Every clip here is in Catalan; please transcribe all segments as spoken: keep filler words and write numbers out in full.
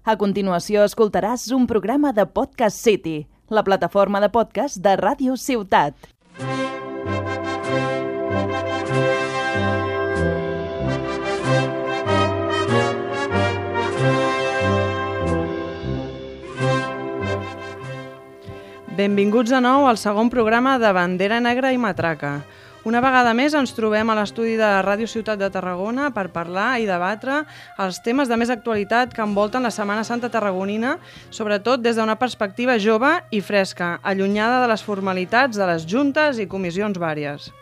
A continuació escoltaràs un programa de Podcast City, la plataforma de podcast de Ràdio Ciutat. Benvinguts de nou al segon programa de Bandera Negra i Matraca. Una vegada més ens trobem a l'estudi de Ràdio Ciutat de Tarragona per parlar i debatre els temes de més actualitat que envolten la Setmana Santa tarragonina, sobretot des d'una perspectiva jove i fresca, allunyada de les formalitats de les juntes i comissions vàries.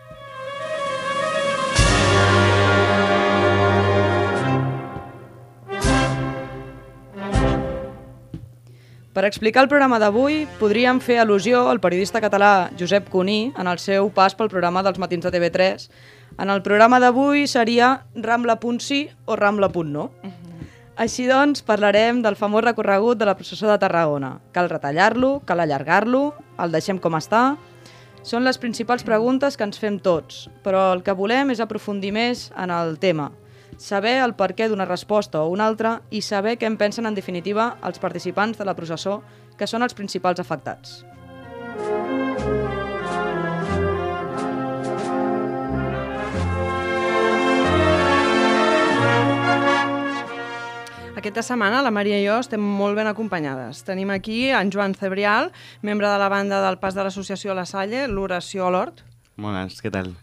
Per explicar el programa d'avui, podríem fer al·lusió al periodista català Josep Cuní en el seu pas pel programa dels matins de T V tres. En el programa d'avui seria Rambla punt sí o Rambla punt no. Uh-huh. Així doncs, parlarem del famós recorregut de la processó de Tarragona. Cal retallar-lo, cal allargar-lo, el deixem com està? Són les principals preguntes que ens fem tots, però el que volem és aprofundir més en el tema. Saber el perquè d'una resposta o una altra i saber què en pensen en definitiva els participants de la processó, que són els principals afectats. Aquesta setmana la Maria i jo estem molt ben acompanyades. Tenim aquí en Joan Cebrial, membre de la banda del Pas de l'Associació La Salle, l'Oració a l'Hort. Bones, què tal?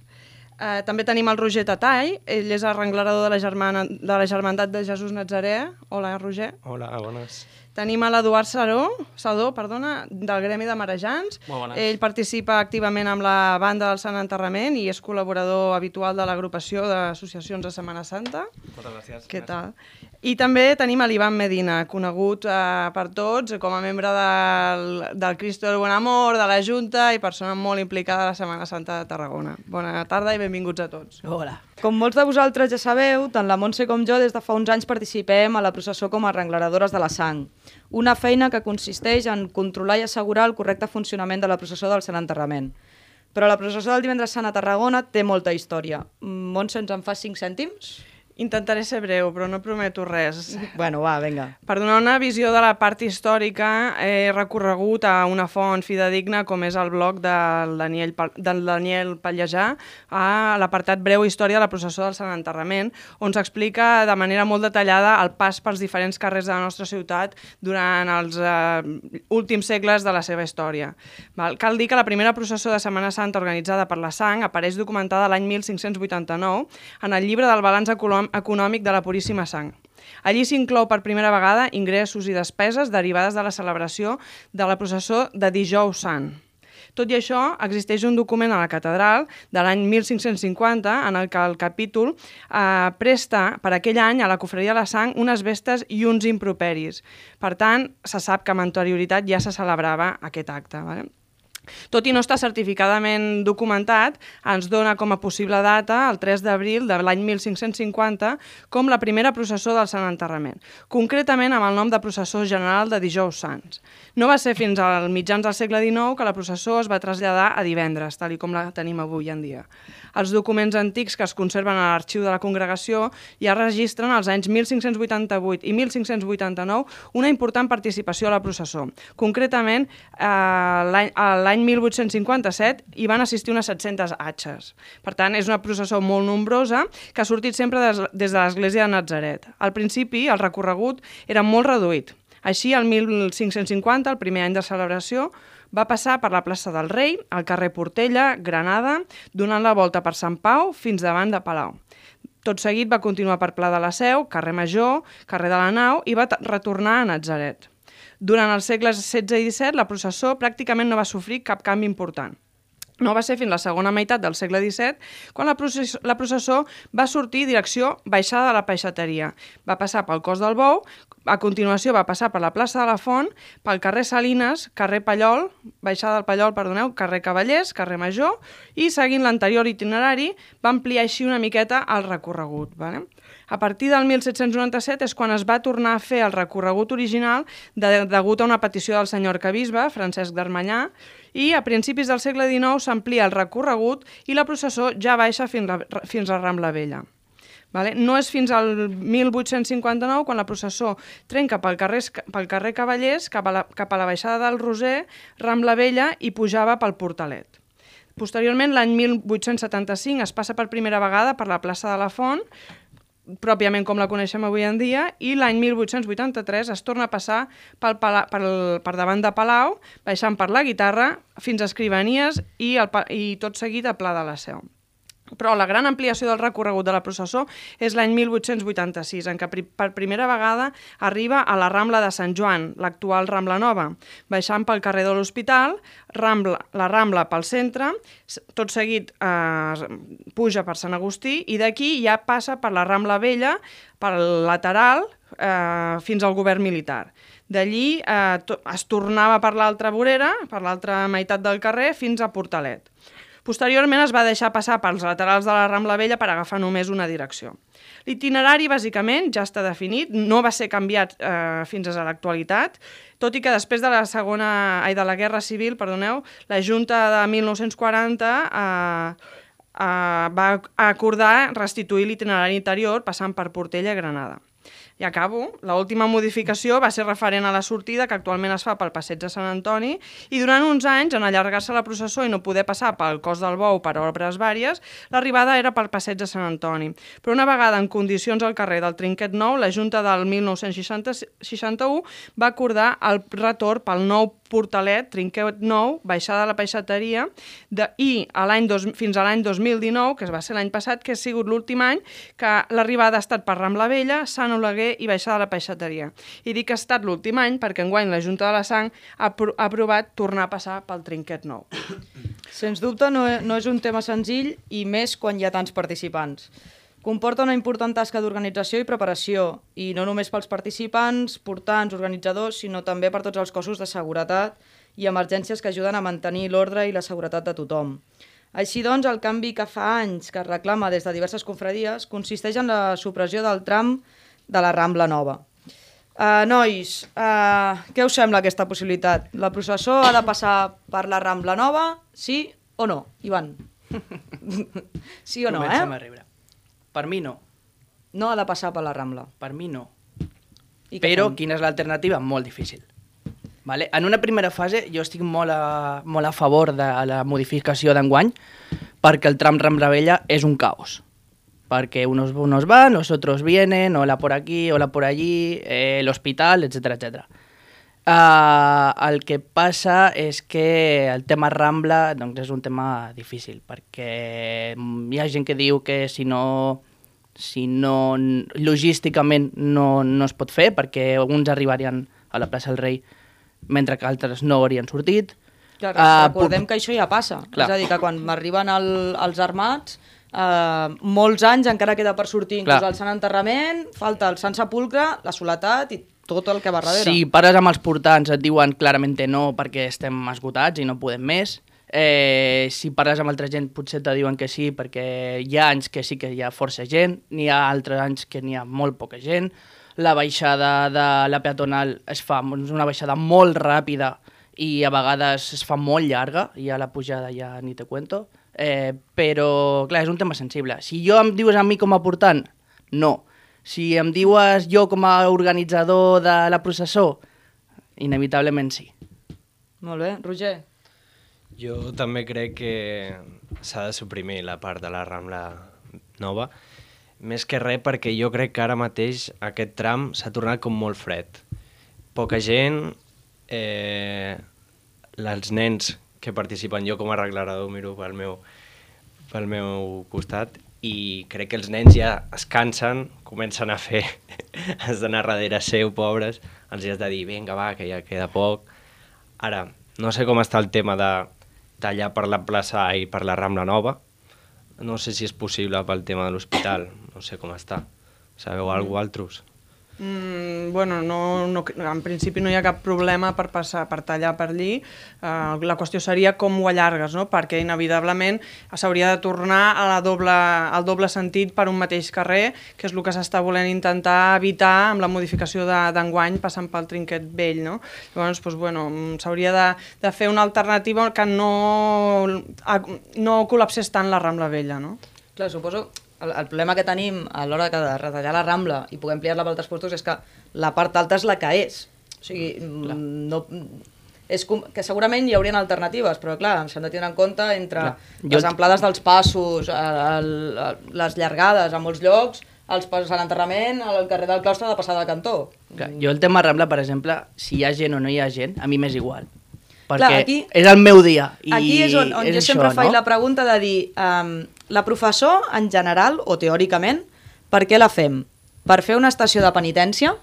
Uh, també tenim el Roger Tatall, ell és arrenglerador de la, germana, de la Germandat de Jesús Nazaré. Hola, Roger. Hola, bones. Tenim a l'Eduard Sadó, Sadó perdona, del Gremi de Marejants. Molt bones. Ell participa activament amb la banda del Sant Enterrament i és col·laborador habitual de l'agrupació d'associacions de Setmana Santa. Moltes gràcies. Què tal? I també tenim a l'Ivan Medina, conegut eh, per tots com a membre del, del Cristo del Buen Amor, de la Junta i persona molt implicada a la Setmana Santa de Tarragona. Bona tarda i benvinguts a tots. Hola. Com molts de vosaltres ja sabeu, tant la Montse com jo des de fa uns anys participem a la processó com a arrengleradores de la sang. Una feina que consisteix en controlar i assegurar el correcte funcionament de la processó del Sant Enterrament. Però la processó del Divendres Sant a Tarragona té molta història. Montse, ens en fa cinc cèntims? Intentaré ser breu, però no prometo res. Bueno, va, vinga. Per donar una visió de la part històrica, he recorregut a una font fidedigna com és el blog del Daniel, del Daniel Pallejà, a l'apartat Breu Història de la processó del Sant Enterrament, on s'explica de manera molt detallada el pas pels diferents carrers de la nostra ciutat durant els eh, últims segles de la seva història. Val? Cal dir que la primera processó de Setmana Santa organitzada per la Sang apareix documentada l'any mil cinc-cents vuitanta-nou en el llibre del balanç econòmic de la Puríssima Sang. Allí s'inclou per primera vegada ingressos i despeses derivades de la celebració de la processó de Dijous Sant. Tot i això, existeix un document a la catedral de l'any mil cinc-cents cinquanta en el que el capítol eh, presta per aquell any a la cofreria de la Sang unes vestes i uns improperis. Per tant, se sap que amb anterioritat ja se celebrava aquest acte. Vale? Tot i no estar certificadament documentat, ens dona com a possible data el tres d'abril de l'any mil cinc-cents cinquanta com la primera processó del Sant Enterrament, concretament amb el nom de Processó General de Dijous Sants. No va ser fins als mitjans del segle dinou que la processó es va traslladar a divendres, tal com la tenim avui en dia. Els documents antics que es conserven a l'arxiu de la congregació ja registren als anys mil cinc-cents vuitanta-vuit i mil cinc-cents vuitanta-nou una important participació a la processó. Concretament, eh, l'any mil vuit-cents cinquanta-set hi van assistir unes set-centes atxes. Per tant, és una processó molt nombrosa que ha sortit sempre des, des de l'església de Natzaret. Al principi, el recorregut era molt reduït. Així, el mil cinc-cents cinquanta, el primer any de celebració, va passar per la plaça del Rei, al carrer Portella, Granada, donant la volta per Sant Pau fins davant de Palau. Tot seguit va continuar per Pla de la Seu, carrer Major, carrer de la Nau i va retornar a Natzaret. Durant els segles setze i disset, la processó pràcticament no va sofrir cap canvi important. No va ser fins la segona meitat del segle disset quan la processó, la processó va sortir direcció baixada de la peixateria. Va passar pel Cos del Bou, a continuació va passar per la plaça de la Font, pel carrer Salines, carrer Pallol, baixada del Pallol, perdoneu, carrer Cavallers, carrer Major, i seguint l'anterior itinerari va ampliar així una miqueta el recorregut. Vale? A partir del mil set-cents noranta-set és quan es va tornar a fer el recorregut original de, degut a una petició del senyor arquebisbe, Francesc d'Armanyà, i a principis del segle dinou s'amplia el recorregut i la processó ja baixa fins a, fins a Rambla Vella. Vale? No és fins al mil vuit-cents cinquanta-nou quan la processó trenca pel carrer, pel carrer Cavallers cap a, la, cap a la baixada del Roser, Rambla Vella i pujava pel Portalet. Posteriorment, l'any mil vuit-cents setanta-cinc es passa per primera vegada per la plaça de la Font, pròpiament com la coneixem avui en dia, i l'any mil vuit-cents vuitanta-tres es torna a passar pel, pel, per davant de Palau, baixant per la Guitarra fins a Escrivanies i, el, i tot seguit a Pla de la Seu. Però la gran ampliació del recorregut de la processó és l'any mil vuit-cents vuitanta-sis, en què per primera vegada arriba a la Rambla de Sant Joan, l'actual Rambla Nova, baixant pel carrer de l'Hospital, Rambla, la Rambla pel centre, tot seguit eh, puja per Sant Agustí i d'aquí ja passa per la Rambla Vella, pel lateral, eh, fins al govern militar. D'allí eh, es tornava per l'altra vorera, per l'altra meitat del carrer, fins a Portalet. Posteriorment es va deixar passar pels laterals de la Rambla Vella per agafar només una direcció. L'itinerari, bàsicament, ja està definit, no va ser canviat eh, fins a l'actualitat, tot i que després de la segona, ai, de la Guerra Civil, perdoneu, la Junta de mil nou-cents quaranta eh, eh, va acordar restituir l'itinerari interior passant per Portella i Granada. I acabo. L'última modificació va ser referent a la sortida, que actualment es fa pel Passeig de Sant Antoni, i durant uns anys, en allargar-se la processó i no poder passar pel Cos del Bou per obres vàries, l'arribada era pel Passeig de Sant Antoni. Però una vegada en condicions al carrer del Trinquet Nou, la Junta del mil nou-cents seixanta-u va acordar el retorn pel nou Portalet, Trinquet Nou, baixada de la peixateria, de, i a dos, fins a l'any dos mil dinou, que va ser l'any passat, que ha sigut l'últim any, que l'arribada ha estat per Rambla Vella, Sant Oleguer i baixada de la peixateria. I dic que ha estat l'últim any perquè enguany la Junta de la Sang ha, ha aprovat tornar a passar pel Trinquet Nou. Sens dubte no, no és un tema senzill i més quan hi ha tants participants. Comporta una important tasca d'organització i preparació, i no només pels participants, portants, organitzadors, sinó també per tots els cossos de seguretat i emergències que ajuden a mantenir l'ordre i la seguretat de tothom. Així doncs, el canvi que fa anys que es reclama des de diverses confradies consisteix en la supressió del tram de la Rambla Nova. Uh, nois, uh, què us sembla aquesta possibilitat? La processó ha de passar per la Rambla Nova, sí o no? Ivan? Sí o no, Comencem eh? a riure. Per mi no. No ha de passar per la Rambla. Per mi no. I Però fem? quina és l'alternativa? Molt difícil. Vale? En una primera fase jo estic molt a, molt a favor de la modificació d'enguany perquè el tram Rambla Vella és un caos. Perquè unos, unos van, los otros vienen, hola por aquí, hola por allí, eh, el hospital, etcètera, etcètera. Uh, el que passa és que el tema Rambla doncs, és un tema difícil, perquè hi ha gent que diu que si no, si no logísticament no, no es pot fer, perquè alguns arribarien a la plaça del Rei mentre que altres no haurien sortit. Clar, Uh, recordem puc- que això ja passa. Clar. És a dir, que quan arriben el, els armats, eh, molts anys encara queda per sortir inclús Clar. el Sant Enterrament, falta el Sant Sepulcre, la soledat i tot el que va darrere. Si pares amb els portants et diuen clarament no perquè estem esgotats i no podem més. Eh, si parles amb altra gent potser te diuen que sí perquè hi ha anys que sí que hi ha força gent, n'hi ha altres anys que n'hi ha molt poca gent. La baixada de la peatonal es fa és una baixada molt ràpida i a vegades es fa molt llarga i a la pujada ja ni te cuento. Eh, però, clar, és un tema sensible. Si jo em dius a mi com a portant, no. Si em dius jo com a organitzador de la processó, inevitablement sí. Molt bé. Roger? Jo també crec que s'ha de suprimir la part de la Rambla Nova, més que res perquè jo crec que ara mateix aquest tram s'ha tornat com molt fred. Poca gent, eh, els nens que participen, jo com a arreglador miro pel meu, pel meu costat, i crec que els nens ja es cansen, comencen a fer, has d'anar darrere seu, pobres, els has de dir, vinga, va, que ja queda poc. Ara, no sé com està el tema de tallar per la plaça i per la Rambla Nova, no sé si és possible pel tema de l'hospital, no sé com està. Sabeu mm. alguna cosa, altres? Mm, bueno, no, no, en principi no hi ha cap problema per passar, per tallar per allí. Uh, la qüestió seria com ho allargues, no? Perquè inevitablement s'hauria de tornar a la doble, al doble sentit per un mateix carrer, que és el que s'està volent intentar evitar amb la modificació d'enguany passant pel Trinquet Vell, no? Llavors, doncs, bueno, s'hauria de, de fer una alternativa que no, no col·lapsés tant la Rambla Vella, no? Clar, suposo... el, el problema que tenim a l'hora de retallar la Rambla i poder ampliar-la per altres puestos és que la part alta és la que és. O sigui, clar. no... És com, que segurament hi haurien alternatives, però clar, s'han de tenir en compte entre clar. les jo... amplades dels passos, el, el, les llargades a molts llocs, els passos a l'enterrament, al carrer del Claustre de passada de cantó. Clar, jo el tema Rambla, per exemple, si hi ha gent o no hi ha gent, a mi m'és igual. Perquè clar, aquí, és el meu dia. I aquí és on, on és jo això, sempre faig no? la pregunta de dir, um, la professor, en general, o teòricament, per què la fem? Per fer una estació de penitència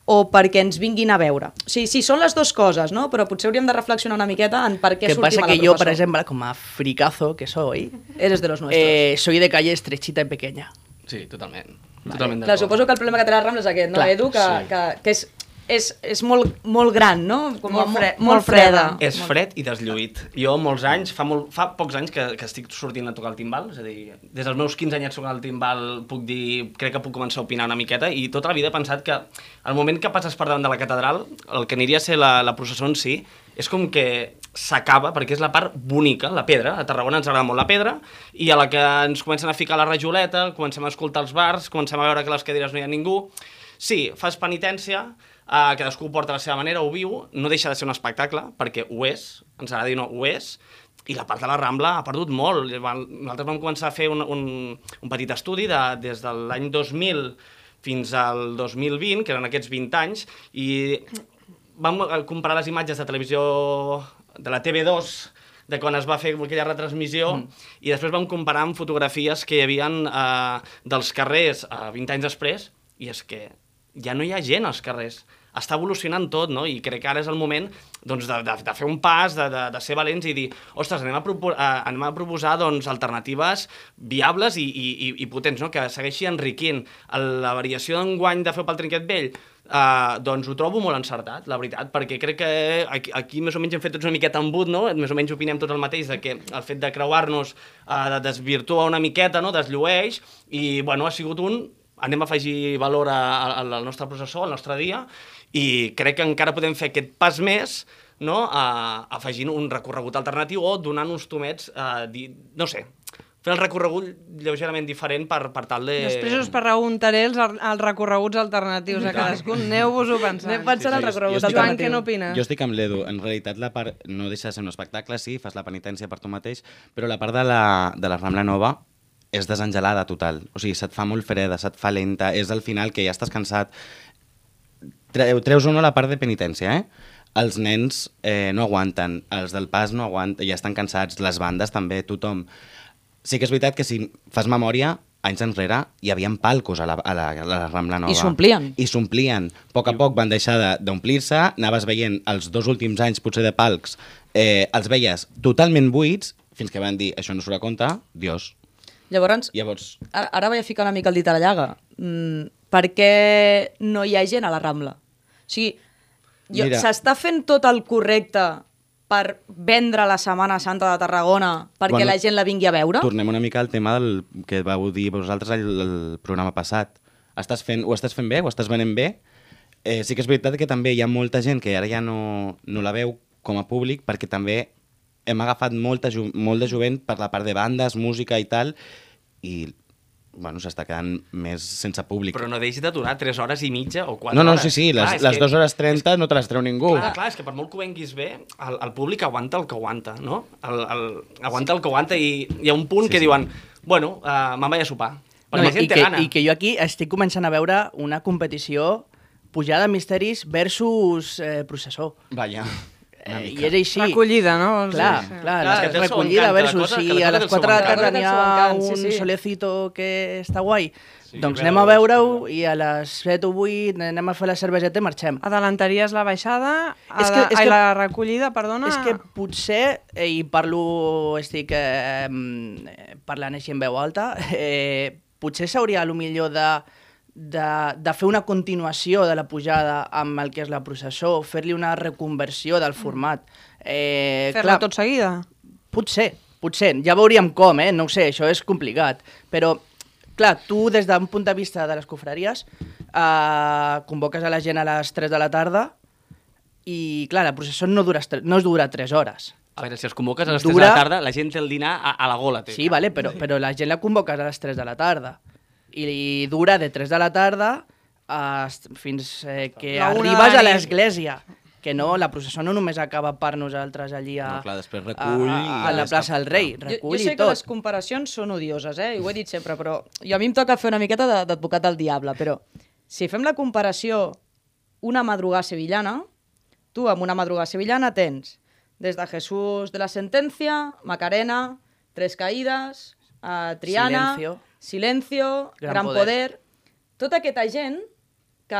o perquè ens vinguin a veure? O sigui, sí, són les dues coses, no? Però potser hauríem de reflexionar una miqueta en per què que sortim pasa a la que yo, professor. por ejemplo, como a fricazo que soy, Eres de los nuestros. eh, soy de calle estrechita y pequeña. Sí, totalment. Vale. Totalment Clar, d'acord. suposo que el problema que té la Rambla és aquest, no, Clar, Edu? Que, sí. que, que és, és, és molt, molt gran, no? Com Molt fre- molt, molt freda. És fred i deslluït. Jo molts anys, fa, molt, fa pocs anys que, que estic sortint a tocar el timbal, és a dir, des dels meus quinze anyets tocant el timbal puc dir, crec que puc començar a opinar una miqueta i tota la vida he pensat que al moment que passes per davant de la catedral, el que aniria a ser la, la processó en si, és com que s'acaba, perquè és la part bonica, la pedra. A Tarragona ens agrada molt la pedra, i a la que ens comencen a ficar la rajoleta, comencem a escoltar els bars, comencem a veure que a les cadires no hi ha ningú. Sí, fas penitència, eh, cadascú ho porta a la seva manera, ho viu, no deixa de ser un espectacle, perquè ho és, ens agrada dir no, ho és, i la part de la Rambla ha perdut molt. Nosaltres vam començar a fer un, un, un petit estudi de, des de l'any dos mil fins al dos mil vint, que eren aquests vint anys, i vam comparar les imatges de televisió de la T V dos, de quan es va fer aquella retransmissió, mm. i després vam comparar amb fotografies que hi havia eh, dels carrers eh, vint anys després, i és que ja no hi ha gent als carrers. Està evolucionant tot, no? I crec que ara és el moment doncs, de, de, de fer un pas, de, de, de ser valents i dir, ostres, anem a, propo uh, anem a proposar doncs, alternatives viables i, i, i potents, no? Que segueixi enriquint. La variació d'enguany de fer pel Trinquet Vell, uh, doncs ho trobo molt encertat, la veritat, perquè crec que aquí, aquí més o menys hem fet tots una miqueta embut, no? Més o menys opinem tots el mateix, de que el fet de creuar-nos uh, desvirtua una miqueta, no? Desllueix, i bueno, ha sigut un... anem a afegir valor al nostre processó, al nostre dia, i crec que encara podem fer aquest pas més, no? uh, afegint un recorregut alternatiu o donant uns tomets, uh, di... no sé, fer el recorregut lleugerament diferent per, per tal de... Després us preguntaré els, els recorreguts alternatius a cadascun. Aneu-vos-ho pensant. Anem pensant Sí, el sí, recorregut jo estic Joan, alternatiu. què n'opines? Jo estic amb l'Edu. En realitat, la part no deixa de ser un espectacle, sí, fas la penitència per tu mateix, però la part de la, de la Rambla Nova és desengelada total. O sigui, se't fa molt freda, se't fa lenta, és al final que ja estàs cansat. Treu, treus o no la part de penitència, eh? Els nens eh, no aguanten, els del pas no aguanten, ja estan cansats, les bandes també, tothom. Sí que és veritat que si fas memòria, anys enrere hi havia palcos a la, a la, a la Rambla Nova. I s'omplien. I s'omplien. A poc a poc van deixar d'omplir-se, anaves veient els dos últims anys, potser de palcs, eh, els veies totalment buits, fins que van dir, això no surt a compte, Dios. Llavors, Llavors, ara, ara vaig a ficar una mica el dit a la llaga. Mm, per què no hi ha gent a la Rambla? O sigui, Mira. s'està fent tot el correcte per vendre la Setmana Santa de Tarragona perquè Bueno, la gent la vingui a veure? tornem una mica al tema del que vau dir vosaltres al, al programa passat. Estàs fent, ho estàs fent bé, ho estàs venent bé. Eh, sí que és veritat que també hi ha molta gent que ara ja no, no la veu com a públic perquè també hem agafat molta, molt de jovent per la part de bandes, música i tal, i bueno, s'està quedant més sense públic. Però no deixis d'aturar tres hores i mitja o quatre No, no, hores. sí, sí, les, Clar, és les que- dues hores trenta no te les treu ningú. Clar, clar, és que per molt que ho venguis bé, el, el públic aguanta el que aguanta, no? El, el, aguanta el que aguanta i hi ha un punt Sí, que sí. diuen, bueno, uh, me'n vaig a sopar. Perquè No, la gent i, té que, gana. I que jo aquí estic començant a veure una competició pujada de misteris versus eh, processó. Vaja. Eh, I és així. Recollida, no? Vols Clar, dir? clar, Clar, que té el seu recollida encant, cada versus cosa- si cada a cosa té les el seu quatre de la encant. tarda Cada n'hi cosa té el ha seu encant, sí, un sí. solecito que està guai, Sí, doncs veure-ho, anem a veure-ho veure-ho. i a les set o vuit anem a fer la cerveseta i marxem. Adelantaries la baixada, És que- és ai, que- la recollida, perdona... És que potser, eh, i parlo, estic eh, mm, parlant així en veu alta, eh, potser s'hauria a lo millor de, de, de fer una continuació de la pujada amb el que és la processó, fer-li una reconversió del format. Eh, Fer-la clar, tot seguida? Potser, potser, ja veuríem com, eh? no ho sé, això és complicat, però clar, tu des d'un punt de vista de les confraries eh, convoques a la gent a les tres de la tarda i clar, la processó no dura, no es dura tres hores. A veure, si els convoques a les tres Dura- de la tarda, la gent té el dinar a, a la gola. Té. Sí, vale, però, però la gent la convoques a les tres de la tarda. I dura de tres de la tarda a, fins eh, que La una de arribes la a nit. l'església. Que no, la processó no només acaba per nosaltres allí a, No, clar, després a, recull a, i a la ja plaça està. del Rei. Jo, Recull jo sé i que les tot. comparacions són odioses, eh? I ho he dit sempre, però jo a mi em toca fer una miqueta de- d'advocat del diable, però si fem la comparació una madrugada sevillana, tu amb una madrugada sevillana tens des de Jesús de la Sentencia, Macarena, Tres Caídas, eh, Triana, Silencio. Silencio, Gran Gran, Poder. Poder. Tota aquesta gent que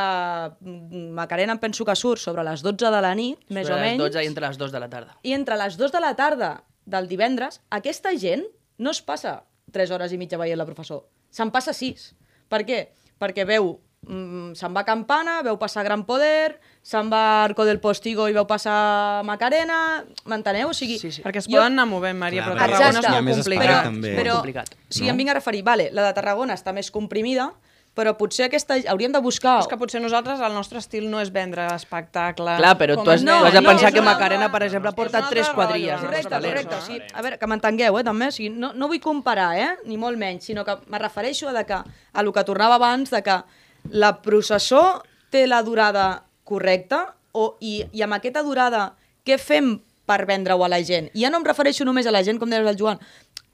mm, Macarena em penso que surt sobre les dotze de la nit, més Sobre o les menys, dotze i entre les dues de la tarda. i entre les dues de la tarda del divendres, aquesta gent no es passa tres hores i mitja veient la professor. Se'n passa sis. Per què? Perquè veu, mm, se'n va a Campana, veu passar Gran Poder, se'n va a Arco del Postigo i veu passar Macarena, m'enteneu? O sigui, Sí, sí. Perquè es jo- poden anar movent, Maria, Clar, però perquè Tarragona és Exacte. molt hi ha més complicat. espai però, també. però complicat, si no? em vinc a referir, vale, la de Tarragona està més comprimida, però potser aquesta hauríem de buscar... És que potser nosaltres, el nostre estil no és vendre espectacle. Clar, però com tu has, no, tu has de no, pensar és que una Macarena, altra- per exemple, és porta un altre tres rotllo, quadrilles. no? de Correcte, hostalers. correcte. O Això. sigui, a veure, que m'entengueu, eh, també. O sigui, no, no vull comparar, eh, ni molt menys, sinó que me refereixo a, de que, a lo que tornava abans, de que la processó té la durada correcta o, i, i amb aquesta durada què fem per vendre-ho a la gent? I ja no em refereixo només a la gent, com deies el Joan,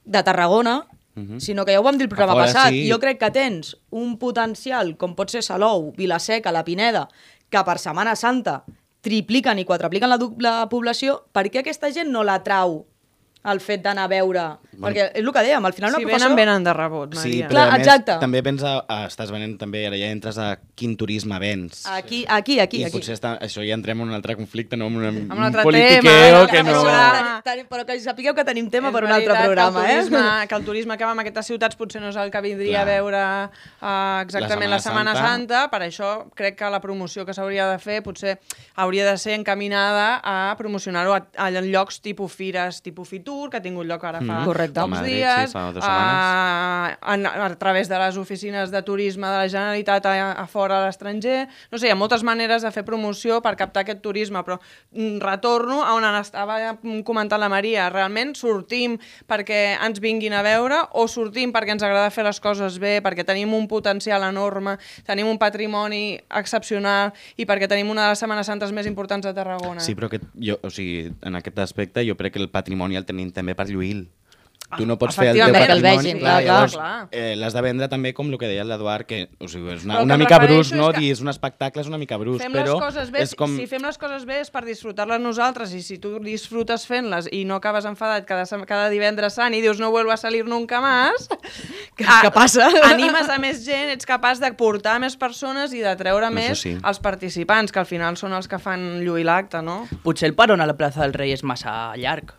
de Tarragona, Mhm. sinó que ja ho vam dir el programa A fora, passat. sí. Jo crec que tens un potencial, com pot ser Salou, Vilaseca, La Pineda, que per Setmana Santa tripliquen i quadrupliquen la, du- la població, per què aquesta gent no la trau el fet d'anar a veure? Bueno. Perquè és el que dèiem, al final Si una professor... venen, venen de rebot, Sí, Maria. però Clar, a més, exacte. també pensa, ah, estàs venent també, ara ja entres a quin turisme vens. Aquí, aquí, aquí. I aquí. potser està, això ja entrem en un altre conflicte, no? En un, un altre politiqueo tema, que en un no... programa. Ten- ten- Però que sapigueu que tenim tema És per un altre veritat programa, que el, turisme, eh? que el turisme que va en aquestes ciutats potser no és el que vindria Clar. a veure uh, exactament La la Setmana, Setmana Santa. Santa. Per això crec que la promoció que s'hauria de fer potser hauria de ser encaminada a promocionar-ho a, a llocs tipus fires, tipus Fitur, que ha tingut lloc ara fa Mhm. Correcte. A pocs Madrid, dies, sí, fa dues a, a, a través de les oficines de turisme de la Generalitat a, a fora a l'estranger. No sé, hi ha moltes maneres de fer promoció per captar aquest turisme, però mm, retorno a on estava comentant la Maria. Realment sortim perquè ens vinguin a veure o sortim perquè ens agrada fer les coses bé, perquè tenim un potencial enorme, tenim un patrimoni excepcional i perquè tenim una de les Setmanes Santes més importants de Tarragona. Sí, però aquest, jo, o sigui, en aquest aspecte jo crec que el patrimoni el tenim també per lluir. Tu no pots fer el teu Efectivament, que el patrimoni, vegin, clar, clar, llavors clar. eh, l'has de vendre també com el que deia l'Eduard, que o sigui, és una, Però el una que em mica refereixo brus, no? és que Dir és un espectacle és una mica brus, Fem però les coses bé, és com... si fem les coses bé és per disfrutar-les nosaltres i si tu disfrutes fent-les i no acabes enfadat cada, sem- cada divendres sant i dius no vuelvo a salir nunca más, Que, que passa? animes a més gent, ets capaç de portar més persones i de treure Això més sí. els participants, que al final són els que fan lluir l'acte, no? Potser el peron a la plaça del Rei és massa llarg.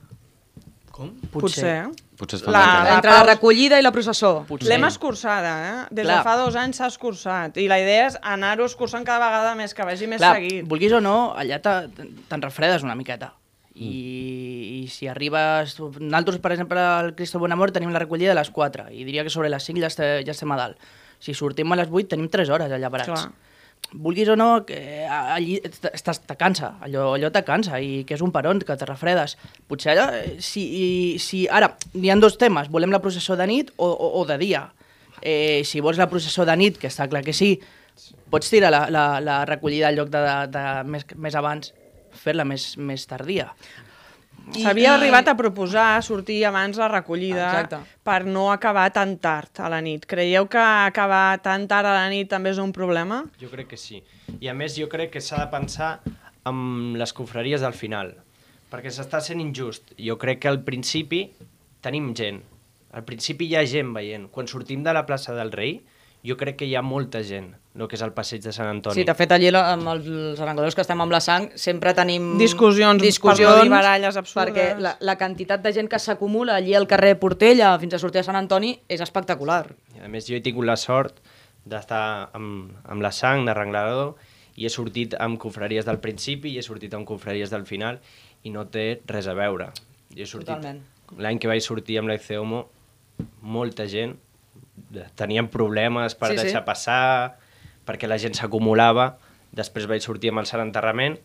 Com? Potser. Potser es fa La- una mica- Entre la recollida i la processó. Potser. L'hem escurçada, eh? Des Clar. de fa dos anys s'ha escurçat i la idea és anar-ho escurçant cada vegada més, que vagi més Clar, seguit. vulguis o no, allà te- te'n refredes una miqueta. I, i si arribes... Nosaltres, per exemple, al Cristo Bonamor tenim la recollida a les quatre i diria que sobre les cinc ja estem, ja estem a dalt. Si sortim a les vuit tenim tres hores allà parats. Clar. Vulguis o no, que allí estàs, te cansa, allò, allò te cansa i que és un peron, que te refredes. Potser allà, eh, si, i- si ara, hi ha dos temes, volem la processó de nit o, o, o de dia. Eh, si vols la processó de nit, que està clar que sí, pots tirar la, la, la recollida al lloc de, de, de més, més abans, fer-la més, més tardia. S'havia arribat a proposar sortir abans la recollida Exacte. per no acabar tan tard a la nit. Creieu que acabar tan tard a la nit també és un problema? Jo crec que sí. I a més jo crec que s'ha de pensar amb les confraries del final, perquè s'està sent injust. Jo crec que al principi tenim gent. Al principi hi ha gent veient. Quan sortim de la plaça del Rei, jo crec que hi ha molta gent, el que és el passeig de Sant Antoni. Sí, de fet, allí la- amb els arengladors que estem amb la sang sempre tenim Discussions, discussions per no dir baralles absurdes. perquè la, la quantitat de gent que s'acumula allí al carrer Portella fins a sortir a Sant Antoni és espectacular. I a més, jo he tingut la sort d'estar amb, amb la sang d'arrenglador i he sortit amb confraries del principi i he sortit amb confraries del final i no té res a veure. Jo he sortit... Totalment. L'any que vaig sortir amb la ICEOMO, molta gent tenien problemes per Sí, sí. deixar passar, perquè la gent s'acumulava. Després vaig sortir amb el Sant Enterrament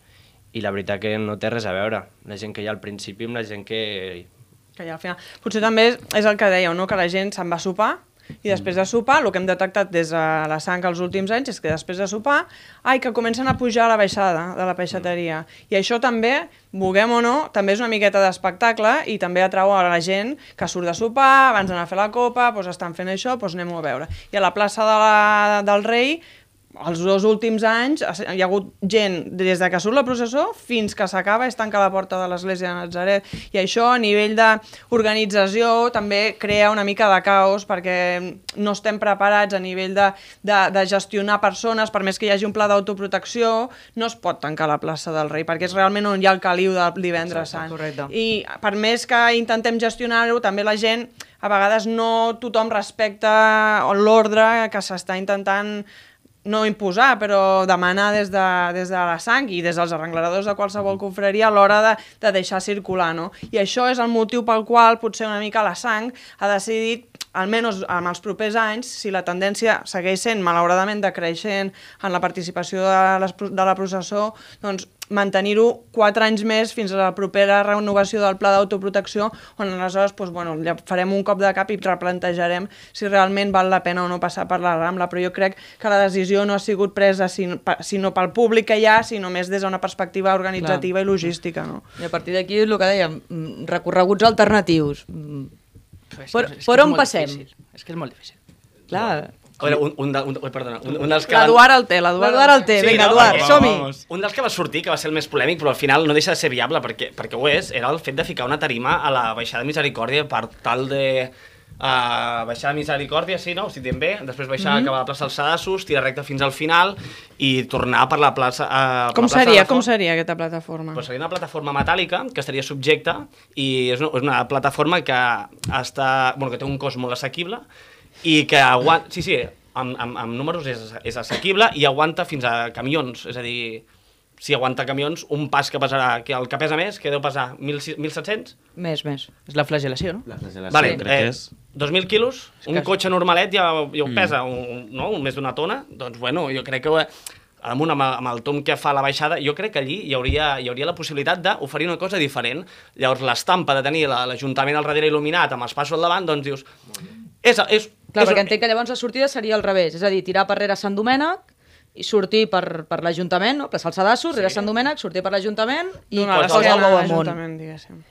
i la veritat que no té res a veure la gent que hi ha al principi amb la gent que... que ja al final. Potser també és, és el que dèieu, no? Que la gent se'n va a sopar i després de sopar, el que hem detectat des de la sang els últims anys és que després de sopar, ai, que comencen a pujar la baixada de la peixateria. I això també, vulguem o no, també és una miqueta d'espectacle i també atrau a la gent que surt de sopar, abans d'anar a fer la copa, doncs estan fent això, doncs anem-ho a veure. I a la plaça de la, del Rei, els dos últims anys hi ha hagut gent des de que surt la processó fins que s'acaba i es tanca la porta de l'església de Natzaret, i això a nivell d'organització també crea una mica de caos perquè no estem preparats a nivell de, de, de gestionar persones. Per més que hi hagi un pla d'autoprotecció, no es pot tancar la plaça del Rei perquè és realment on hi ha el caliu del divendres sant. Correcte. I per més que intentem gestionar-ho, també la gent a vegades no tothom respecta l'ordre que s'està intentant no imposar, però demanar des de, des de la sang i des dels arrengleradors de qualsevol confraria a l'hora de, de deixar circular, no? I això és el motiu pel qual potser una mica la sang ha decidit, almenys en els propers anys, si la tendència segueix sent malauradament decreixent en la participació de, les, de la processó, doncs mantenir-ho quatre anys més fins a la propera renovació del pla d'autoprotecció, on aleshores doncs, bueno, ja farem un cop de cap i replantejarem si realment val la pena o no passar per la Rambla, però jo crec que la decisió no ha sigut presa sinó pel públic que hi ha, sinó més des d'una perspectiva organitzativa Clar. I logística. No? I a partir d'aquí, el que dèiem, recorreguts alternatius. És per, que, és per que on és passem? Difícil. És que és molt difícil. Clar. A veure, un, un, de, un, perdona, un, un dels que... L'Eduard el té, l'Eduard el té. Vinga, no? Eduard, som-hi. Un dels que va sortir, que va ser el més polèmic, però al final no deixa de ser viable, perquè, perquè ho és, era el fet de ficar una tarima a la baixada de Misericòrdia per tal de... Uh, baixar a Misericòrdia, sí, no? Si diem bé, després baixar, mm-hmm. acabar a la plaça dels Sadassos, tirar recte fins al final i tornar per la plaça... Uh, com la plaça seria, com seria aquesta plataforma? Pues seria una plataforma metàl·lica que estaria subjecta i és una, és una plataforma que, està, bueno, que té un cost molt assequible i que aguanta... Sí, sí, amb, amb, amb números és, és assequible i aguanta fins a camions, és a dir... Si aguanta camions, un pas que pesarà, que el que pesa més, que deu pesar mil set-cents? Més, més. És la flagel·lació, no? La flagel·lació, vale, crec eh, que és... dos mil quilos, un que... cotxe normalet ja, ja ho pesa, mm. un, no? un més d'una tona, doncs bueno, jo crec que amunt amb, amb el tom que fa la baixada, jo crec que allí hi hauria, hi hauria la possibilitat d'oferir una cosa diferent. Llavors l'estampa de tenir l'Ajuntament al darrere il·luminat amb els passos al davant, doncs dius... És, és, Clar, és, perquè entenc que llavors la sortida seria al revés, és a dir, tirar per rere Sant Domènec i sortir per, per l'Ajuntament, no? Plaça els Sadassos, sí. rere Sant Domènec, sortir per l'Ajuntament i donar posar el bou amunt.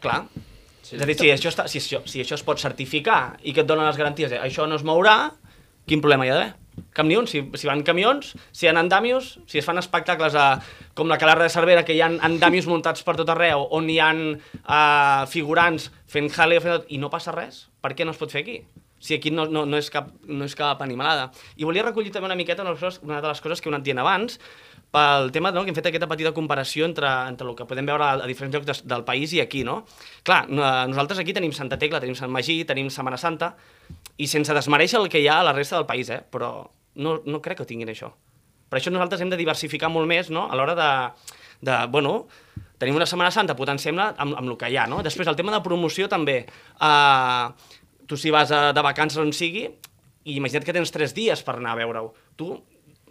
Clar. Sí, és a dir, si això, està, si, això, si això es pot certificar i que et donen les garanties, eh, això no es mourà, quin problema hi ha d'haver? Cap ni un, si, si van camions, si hi ha andàmios, si es fan espectacles a, com la Calarra de Cervera, que hi ha andàmios muntats per tot arreu, on hi ha uh, figurants fent jale fent... i no passa res, per què no es pot fer aquí? Si aquí no, no, no, és cap, no és cap animalada. I volia recollir també una miqueta una, una de les coses que he anat dient abans, pel tema no, que hem fet aquesta petita comparació entre, entre el que podem veure a, a diferents llocs de, del país i aquí, no? Clar, nosaltres aquí tenim Santa Tecla, tenim Sant Magí, tenim Setmana Santa, i sense desmereixer el que hi ha a la resta del país, eh? Però no, no crec que tinguin això. Per això nosaltres hem de diversificar molt més, no? A l'hora de, de, bueno, tenim una Setmana Santa, potenciem-la amb, amb el que hi ha, no? Després, el tema de promoció també... Eh, tu si vas a, de vacances on sigui, i imagina't que tens tres dies per anar a veure-ho. Tu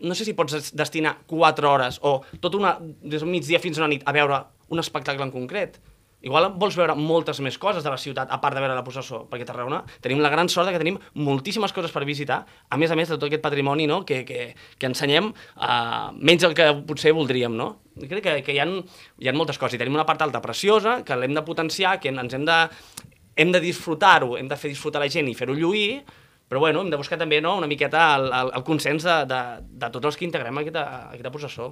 no sé si pots destinar quatre hores o tot una, des del migdia fins a una nit a veure un espectacle en concret. Igual vols veure moltes més coses de la ciutat, a part de veure la processó, perquè a Tarragona tenim la gran sort que tenim moltíssimes coses per visitar, a més a més de tot aquest patrimoni, no? que, que, que ensenyem uh, menys el que potser voldríem. No? Jo crec que, que hi, ha, hi ha moltes coses, i tenim una part alta preciosa, que l'hem de potenciar, que ens hem de... hem de disfrutar-ho, hem de fer disfrutar la gent i fer-ho lluir, però bueno, hem de buscar també no, una miqueta el, el, el consens de, de, de tots els que integrem aquesta, aquesta processó.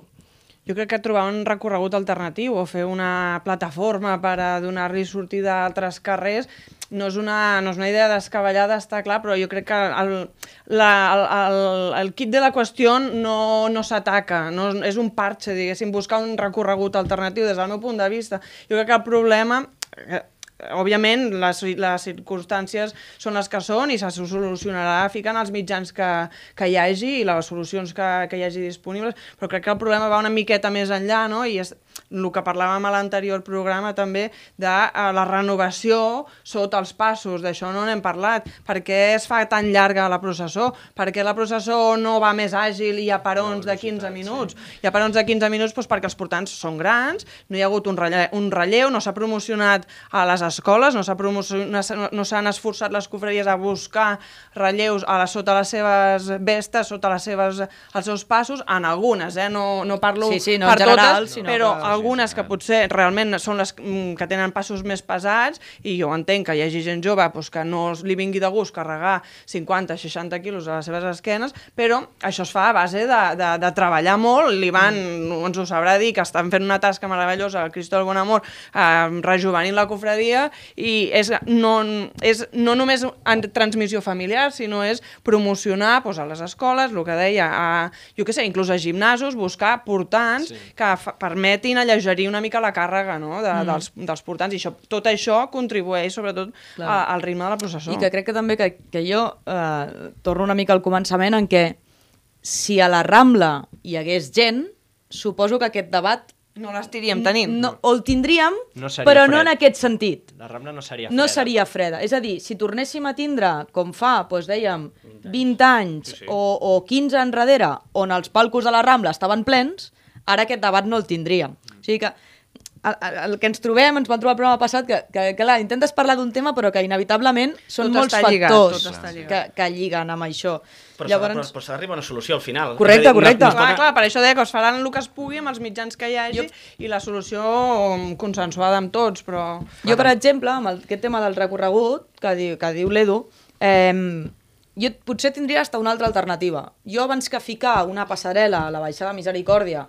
Jo crec que trobar un recorregut alternatiu o fer una plataforma per a donar-li sortida a altres carrers no és una, no és una idea descabellada, està clar, però jo crec que el, la, el, el, el kit de la qüestió no, no s'ataca, no, és un parche, diguéssim, buscar un recorregut alternatiu des del meu punt de vista. Jo crec que el problema... Òbviament, les, les circumstàncies són les que són i se solucionarà ficant els mitjans que, que hi hagi i les solucions que, que hi hagi disponibles, però crec que el problema va una miqueta més enllà, no? I és, el que parlàvem a l'anterior programa també, de uh, la renovació sota els passos, d'això no n'hem parlat. Per què es fa tan llarga la processó? Per què la processó no va més àgil i hi ha parons de quinze minuts? Hi ha parons de quinze minuts doncs, perquè els portants són grans, no hi ha hagut un relleu, un relleu no s'ha promocionat a les escoles, no s'ha promocionat, no s'han esforçat les cofreries a buscar relleus a la, sota les seves vestes, sota les seves, els seus passos, en algunes, eh? no, no parlo sí, sí, no per general, totes, sinó però que... algunes que potser realment són les que tenen passos més pesats, i jo entenc que hi hagi gent jove doncs, que no li vingui de gust carregar cinquanta seixanta quilos a les seves esquenes, però això es fa a base de, de, de treballar molt. L'Ivan mm. ens ho sabrà dir, que estan fent una tasca meravellosa, el Cristo del Bon Amor, eh, rejuvenint la cofradia, i és no, és no només en transmissió familiar, sinó és promocionar doncs, a les escoles, el que deia, a, jo què sé, inclús a gimnasos, buscar portants sí. que permetin allegerir una mica la càrrega no? de, mm. dels, dels portants, i això, tot això contribueix sobretot a, al ritme de la processó. I que crec que també que, que jo eh, torno una mica al començament en què si a la Rambla hi hagués gent, suposo que aquest debat no l'estiríem tenint. No, o el tindríem, no però fred. No en aquest sentit. La Rambla no seria freda. No seria freda. És a dir, si tornéssim a tindre, com fa, doncs dèiem, vint anys sí, sí. O, o quinze enrere, on els palcos de la Rambla estaven plens, ara aquest debat no el tindríem. O sigui que el, el que ens trobem, ens vam trobar el programa passat, que, que, que clar, intentes parlar d'un tema però que inevitablement són tot molts lligat, factors que, que lliguen amb això. Però Llavors... s'ha d'arribar a una solució al final. Correcte, correcte. No, no clar, clar, per això deia que es faran el que es pugui amb els mitjans que hi hagi jo... i la solució consensuada amb tots, però... Jo, per exemple, amb el, aquest tema del recorregut que diu, que diu l'Edu, eh, jo potser tindria hasta una altra alternativa. Jo abans que ficar una passarel·la a la baixada Misericòrdia,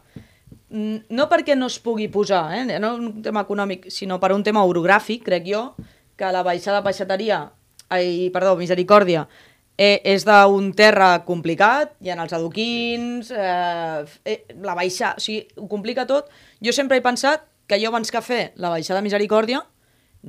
no perquè no es pugui posar, eh? No un tema econòmic, sinó per un tema orogràfic, crec jo, que la baixada Peixateria, ai, perdó, Misericòrdia, eh, és d'un terra complicat, hi ha els adoquins, eh, eh, la baixada, o sigui, ho complica tot. Jo sempre he pensat que jo abans que fer la baixada Misericòrdia,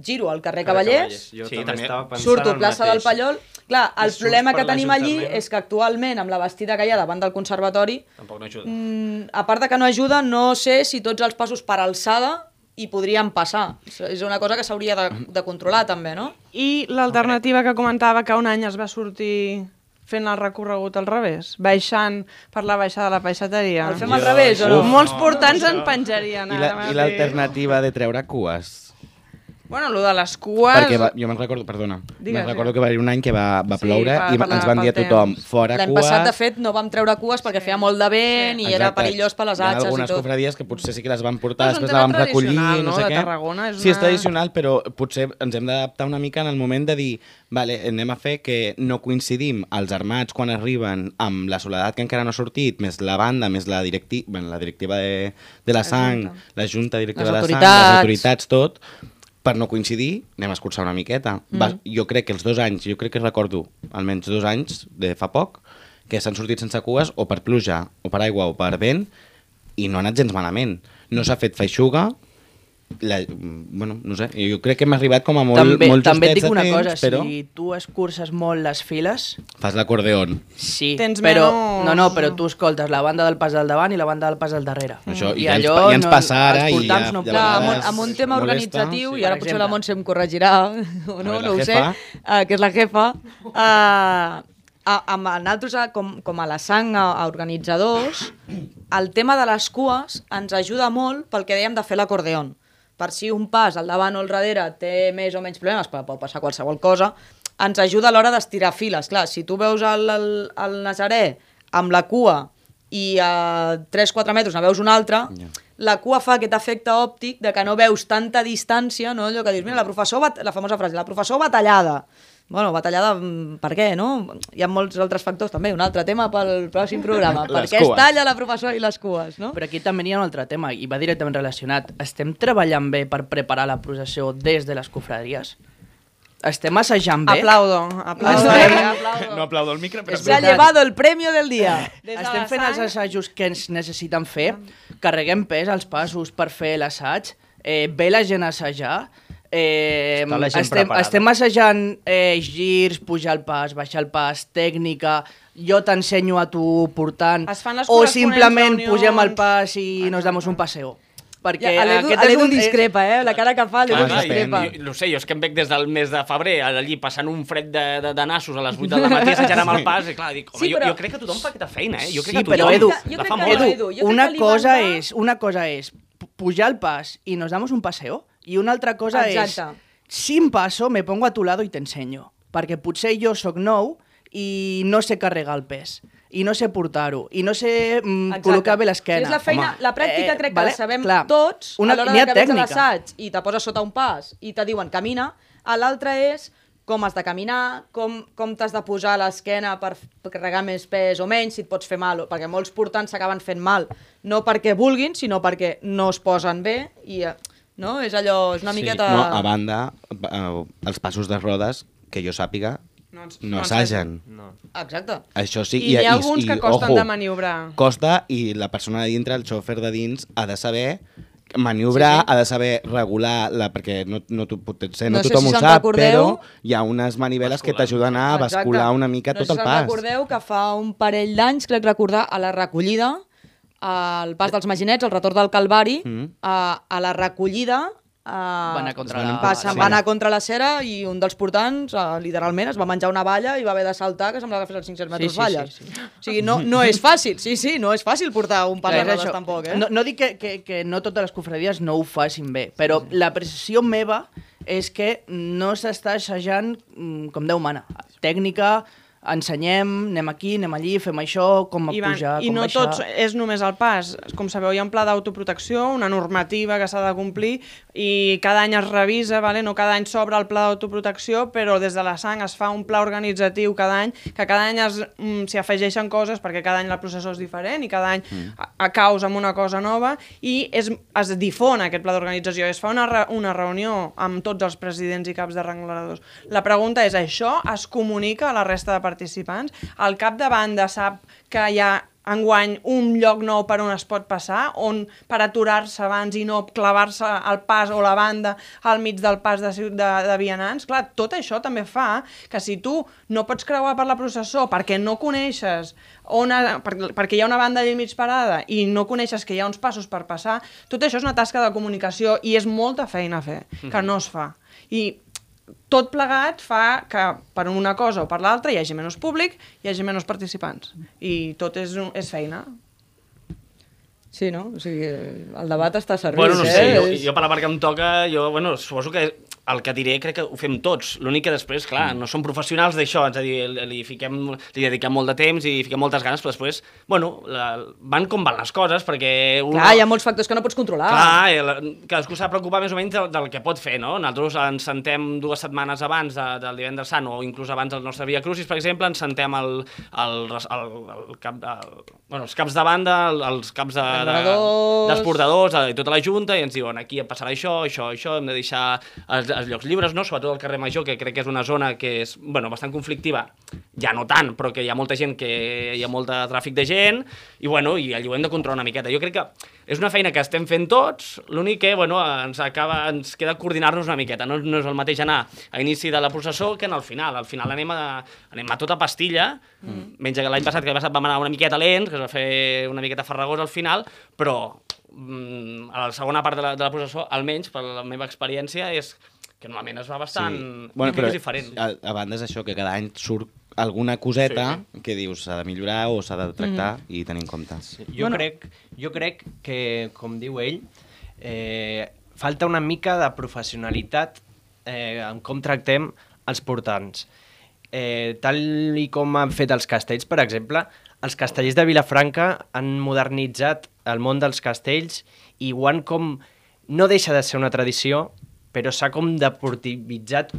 giro al carrer Cavallers, Jo sí, també també estava pensant surto el plaça mateix. del Pallol. Clar, el problema que tenim allí l'Ajuntament. és que actualment, amb la bastida que hi ha davant del conservatori, Tampoc no ajuda. mm, a part de que no ajuda, no sé si tots els passos per alçada hi podrien passar. És una cosa que s'hauria de, de controlar també, no? I l'alternativa que comentava, que un any es va sortir fent el recorregut al revés, baixant per la baixada de la peixateria. El fem al revés o no? Molts portants en penjarien. I la- i l'alternativa de treure cues? Bueno, el de les cues... Perquè va, jo me'n recordo, perdona, Digues, me'n recordo digues. que va haver un any que va, va Sí, ploure per- i per la- ens van dir a pel tothom, temps. fora L'any cues... passat, de fet, no vam treure cues perquè feia molt de vent i era Exacte. perillós per les Hi ha atxes i algunes tot. cofradies que potser sí que les van portar, No, és un després la tema vam recollir, tradicional, no no, sé de què. Tarragona, és Sí, és una- tradicional, però potser ens hem d'adaptar una mica en el moment de dir vale, anem a fer que no coincidim els armats quan arriben amb la soledat que encara no ha sortit, més la banda, més la, directi... bueno, la directiva de, de la sang, la junta directiva Les de la sang, autoritats. les autoritats, tot, per no coincidir, anem a escurçar una miqueta. Mm. Va, jo crec que els dos anys, jo crec que recordo almenys dos anys de fa poc, que s'han sortit sense cues o per pluja, o per aigua, o per vent, i no ha anat gens malament. No s'ha fet feixuga, la, bueno, no sé, jo crec que hem arribat com a molt, també, molt també et justets dic una de temps, cosa, però si tu escurces molt les files, fas l'acordeon. sí, Tens però, menys- no, no, però tu escoltes la banda del pas del davant i la banda del pas del darrere. Això, i I ja ens allò pa- ja ens no- passa ara els i portants ja- no ja Clar, amb, un, vegades amb un tema molesta, organitzatiu, sí, i ara per potser exemple. la Montse em corregirà, o no, A veure, no ho la sé, jefa. uh, que és la jefa, uh, a, amb nosaltres, a, com, com a la sang, a, a organitzadors, el tema de les cues ens ajuda molt pel que dèiem de fer l'acordeon. Per si un pas al davant o al darrere té més o menys problemes, però pot passar qualsevol cosa, ens ajuda a l'hora d'estirar files. Clar, si tu veus el, el, el Nazaré amb la cua i a tres quatre metres ne veus un altre, yeah. la cua fa aquest efecte òptic de que no veus tanta distància, no? Allò que dius, mira, la professor, bat... la famosa frase, la professor batallada. Bueno, batallada, per què, no? Hi ha molts altres factors també, un altre tema pel pròxim programa. Per què es talla la professora i les cues, no? Però aquí també hi ha un altre tema, i va directament relacionat. Estem treballant bé per preparar la processió des de les cofraries? Estem assajant bé? Aplaudo, aplaudo. Estem- aplaudo. No aplaudo el micro, però... Se ha llevado el premio del dia. Des de Estem la fent els sang- assajos que ens necessiten fer, carreguem pes als passos per fer l'assaig, eh, ve la gent a assajar, eh, Està la gent estem, preparada. estem assajant eh, girs, pujar el pas, baixar el pas, tècnica, jo t'ensenyo a tu portant, Es fan les o corresponents simplement reunions. pugem el pas i nos damos un paseo. perquè Ja, l'Edu aquest és l'Edu un... discrepa, eh? La cara que fa, l'Edu Ah, discrepa. Jo, no sé, jo és que em veig des del mes de febrer allí passant un fred de, de, de nassos a les vuit del matí assajant amb el pas i clar, dic, home, Sí, però- jo, jo crec que tothom fa aquesta feina, eh? Jo crec Sí, que però, tothom Edu, Jo la crec fa que molt. no, Edu, Edu, jo crec una que li cosa manca- és, una cosa és pu- pujar al pas y nos damos un paseo i una altra cosa Exacte. és sin paso me pongo a tu lado y te enseño, perquè potser jo sóc nou i no sé carregar el pes i no sé portar-ho, i no sé mm, Exacte. col·locar bé l'esquena. Sí, és la feina, Home, la pràctica eh, crec que vale? la sabem Clar, tots una, a l'hora n'hi de ha que veig tècnica. l'assaig i te poses sota un pas i te diuen camina, a l'altre és com has de caminar, com, com t'has de posar a l'esquena per, per carregar més pes o menys, si et pots fer mal, perquè molts portants s'acaben fent mal, no perquè vulguin, sinó perquè no es posen bé i eh, no? És allò, és una Sí. miqueta... No, a banda, eh, els passos de rodes, que jo sàpiga, No, ens- no no assagen. No. Exacte. Això sí, I n'hi ha alguns que costen de maniobrar. Costa i la persona de dintre, el xòfer de dins, ha de saber maniobrar, sí, sí. ha de saber regular, la, perquè no, no, tu, potser no, No sé tothom si ho se'n sap, recordeu. però hi ha unes maniveles que t'ajuden a bascular una mica no tot el sé si pas. recordeu que fa un parell d'anys, crec recordar, a la recollida, al pas dels Maginets, al retorn del Calvari, Mm. a, a la recollida... Uh, Va anar contra Es van la... Passa, sí. va anar contra la cera i un dels portants, uh, literalment, es va menjar una valla i va haver de saltar, que semblava que fes els cinc-cents metres Sí, sí, valles. sí, sí. O sigui, no, no és fàcil, sí, sí, no és fàcil portar un pas Clar, de és rodes això. tampoc, eh? No, no dic que, que, que no totes les cofradies no ho facin bé, però la precisió meva és que no s'està assajant mm, com Déu mana. Tècnica, ensenyem, anem aquí, anem allí, fem això, com I, van, pujar, I com no baixar... tots és només el pas. Com sabeu, hi ha un pla d'autoprotecció, una normativa que s'ha de complir i cada any es revisa, vale? No cada any s'obre el pla d'autoprotecció, però des de la sang es fa un pla organitzatiu cada any, que cada any es, mm, s'hi afegeixen coses perquè cada any la processó és diferent i cada any mm. a, a causa amb una cosa nova i es, es difon aquest pla d'organització. Es fa una, re, una reunió amb tots els presidents i caps de rengladors. La pregunta és, això es comunica a la resta de participants? El cap de banda sap que hi ha enguany un lloc nou per on es pot passar, on per aturar-se abans i no clavar-se al pas o la banda al mig del pas de, de, de vianants? Clar, tot això també fa que si tu no pots creuar per la processó perquè no coneixes on ha, per, perquè hi ha una banda allà al mig parada i no coneixes que hi ha uns passos per passar, tot això és una tasca de comunicació i és molta feina a fer, que no es fa. I tot plegat fa que per una cosa o per l'altra hi hagi menys públic, hi hagi menys participants. I tot és, un, és feina. Sí, no? O sigui, el debat està servit, Bueno, no sé, eh? jo, És- jo per la part que em toca, jo, bueno, suposo que el que diré crec que ho fem tots. L'únic que després, clar, no som professionals d'això, és a dir, li, li, fiquem, li dediquem molt de temps i fiquem moltes ganes, però després, bueno, la, van com van les coses, perquè... Un, Clar, hi ha molts factors que no pots controlar. Clar, i la, cadascú s'ha de preocupar més o menys del, del que pot fer, no? Nosaltres ens sentem dues setmanes abans de, del divendres sant, o inclús abans del nostre Via Crucis, per exemple, ens sentem el, el, el, el cap, el, bueno, els caps de banda, el, els caps de, de, Portadors. dels portadors, i tota la junta, i ens diuen, aquí passarà això, això, això, hem de deixar els, els llocs llibres, no? Sobretot al carrer Major, que crec que és una zona que és, bueno, bastant conflictiva, ja no tant, però que hi ha molta gent, que hi ha molt de tràfic de gent, i bueno, i allò ho hem de controlar una miqueta. Jo crec que és una feina que estem fent tots, l'únic que, bueno, ens acaba, ens queda coordinar-nos una miqueta, no, no és el mateix anar a inici de la processó que en el final. Al final anem a, anem a tota pastilla, mm. menys que l'any passat, que l'any passat vam anar una miqueta lents, que es va fer una miqueta farragós al final, però mm, a la segona part de la, de la processó, almenys per la meva experiència, és que normalment es va bastant... Sí. Bueno, però però diferent. a, a banda és això, que cada any surt alguna coseta sí. que dius s'ha de millorar o s'ha de tractar mm. i tenir en compte. Sí, jo, bueno. crec, jo crec que, com diu ell, eh, falta una mica de professionalitat eh, en com tractem els portants. Eh, tal i com han fet els castells, per exemple, els castellers de Vilafranca han modernitzat el món dels castells i ho han com... No deixa de ser una tradició, però s'ha com deportivitzat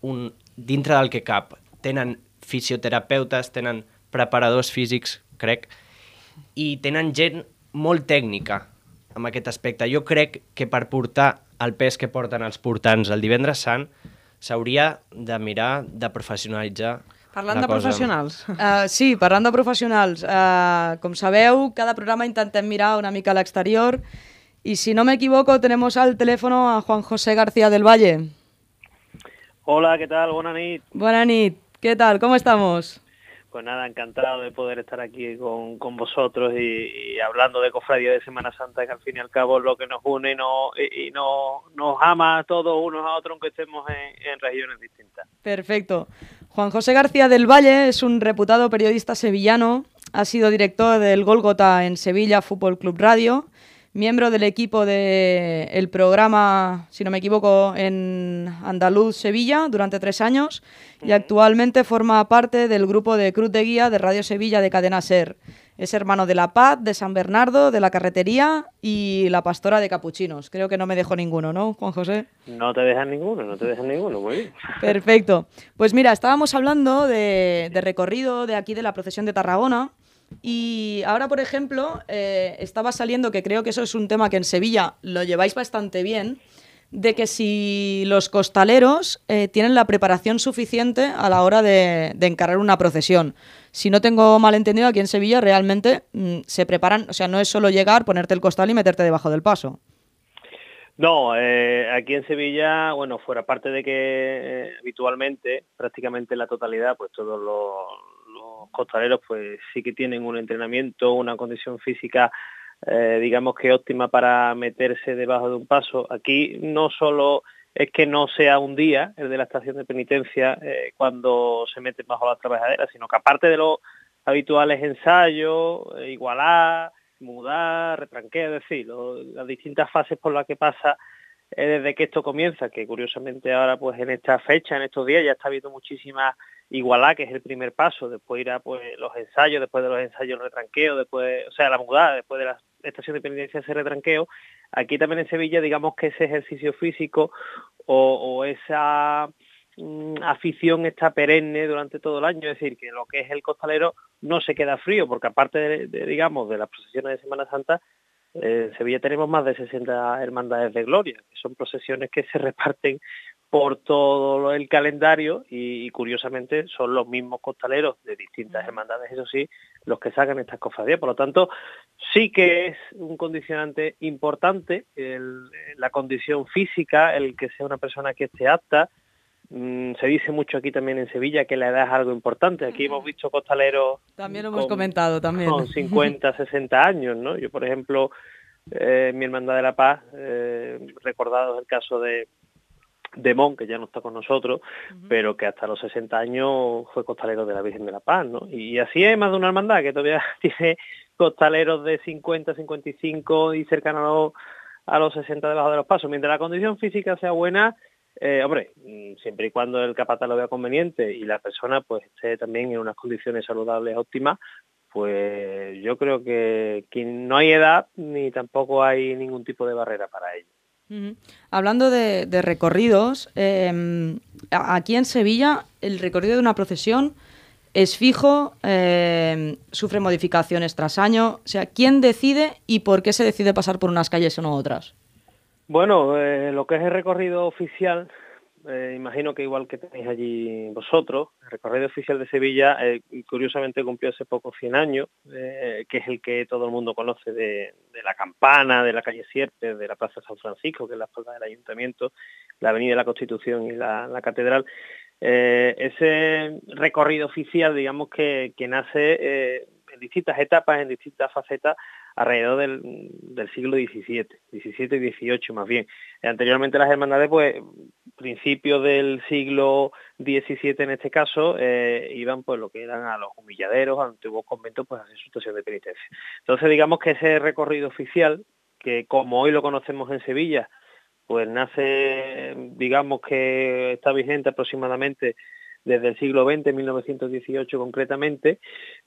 un, dintre del que cap. Tenen fisioterapeutes, tenen preparadors físics, crec, i tenen gent molt tècnica en aquest aspecte. Jo crec que per portar el pes que porten els portants el divendres sant s'hauria de mirar de professionalitzar. Parlant de cosa. professionals. Uh, sí, parlant de professionals. Uh, com sabeu, cada programa intentem mirar una mica a l'exterior y si no me equivoco tenemos al teléfono a Juan José García del Valle. Hola, ¿qué tal? Buena nit. Buena nit. ¿Qué tal? ¿Cómo estamos? Pues nada, encantado de poder estar aquí con, con vosotros y, y hablando de cofradía de Semana Santa, que al fin y al cabo es lo que nos une y, no, y, y no, nos ama a todos unos a otros, aunque estemos en, en regiones distintas. Perfecto. Juan José García del Valle es un reputado periodista sevillano, ha sido director del Gólgota en Sevilla Fútbol Club Radio, miembro del equipo del programa, si no me equivoco, en Andaluz Sevilla durante tres años y actualmente forma parte del grupo de Cruz de Guía de Radio Sevilla de Cadena SER. Es hermano de La Paz, de San Bernardo, de La Carretería y La Pastora de Capuchinos. Creo que no me dejo ninguno, ¿no, Juan José? No te dejan ninguno, no te dejan ninguno, muy bien. Perfecto. Pues mira, estábamos hablando de, de recorrido de aquí de la procesión de Tarragona. Y ahora, por ejemplo, eh, estaba saliendo, que creo que eso es un tema que en Sevilla lo lleváis bastante bien, de que si los costaleros eh, tienen la preparación suficiente a la hora de, de encarar una procesión. Si no tengo mal entendido, aquí en Sevilla realmente mmm, se preparan, o sea, no es solo llegar, ponerte el costal y meterte debajo del paso. No, eh, aquí en Sevilla, bueno, fuera parte de que eh, habitualmente, prácticamente la totalidad, pues todos los, los costaleros pues sí que tienen un entrenamiento, una condición física, eh, digamos que óptima para meterse debajo de un paso. Aquí no solo es que no sea un día el de la estación de penitencia eh, cuando se meten bajo la trabajadera, sino que aparte de los habituales ensayos, eh, igualar, mudar, retranqueo, es decir, lo, las distintas fases por las que pasa eh, desde que esto comienza, que curiosamente ahora pues en esta fecha, en estos días ya está habiendo muchísima igualdad, que es el primer paso, después irá pues los ensayos, después de los ensayos el retranqueo, después, o sea, la mudada, después de la estación de penitencia ese retranqueo. Aquí también en Sevilla, digamos que ese ejercicio físico o, o esa afición está perenne durante todo el año, es decir, que lo que es el costalero no se queda frío, porque aparte de, de digamos, de las procesiones de Semana Santa, eh, en Sevilla tenemos más de sesenta hermandades de gloria, que son procesiones que se reparten por todo el calendario y, y curiosamente son los mismos costaleros de distintas hermandades, eso sí, los que sacan estas cofradías. Por lo tanto, sí que es un condicionante importante el, la condición física, el que sea una persona que esté apta. Mm, se dice mucho aquí también en Sevilla que la edad es algo importante. Aquí hemos visto costaleros también lo hemos con, comentado también con cincuenta, sesenta años, ¿no? Yo, por ejemplo, eh, mi Hermandad de la Paz, eh, recordado el caso de de Mon, que ya no está con nosotros, uh-huh. pero que hasta los sesenta años fue costalero de la Virgen de la Paz, ¿no? Y así hay más de una hermandad que todavía tiene costaleros de cincuenta, cincuenta y cinco y cercano a los, a los sesenta debajo de los pasos. Mientras la condición física sea buena, eh, hombre, siempre y cuando el capataz lo vea conveniente y la persona pues esté también en unas condiciones saludables óptimas, pues yo creo que, que no hay edad ni tampoco hay ningún tipo de barrera para ello. Uh-huh. Hablando de, de recorridos, eh, aquí en Sevilla el recorrido de una procesión es fijo, eh, sufre modificaciones tras año. O sea, ¿quién decide y por qué se decide pasar por unas calles o no otras? Bueno, eh, lo que es el recorrido oficial, eh, imagino que igual que tenéis allí vosotros, el recorrido oficial de Sevilla, eh, curiosamente cumplió hace poco cien años, eh, que es el que todo el mundo conoce de, de la Campana, de la calle Sierpes, de la Plaza San Francisco, que es la espalda del Ayuntamiento, la Avenida de la Constitución y la, la Catedral. Eh, ese recorrido oficial, digamos que, que nace eh, en distintas etapas, en distintas facetas, alrededor del, del siglo diecisiete, diecisiete y dieciocho más bien. Eh, anteriormente las hermandades, pues, principios del siglo diecisiete en este caso, eh, iban pues lo que eran a los humilladeros, a antiguos conventos, pues a hacer su estación de penitencia. Entonces digamos que ese recorrido oficial, que como hoy lo conocemos en Sevilla, pues nace, digamos que está vigente aproximadamente desde el siglo veinte, mil novecientos dieciocho concretamente,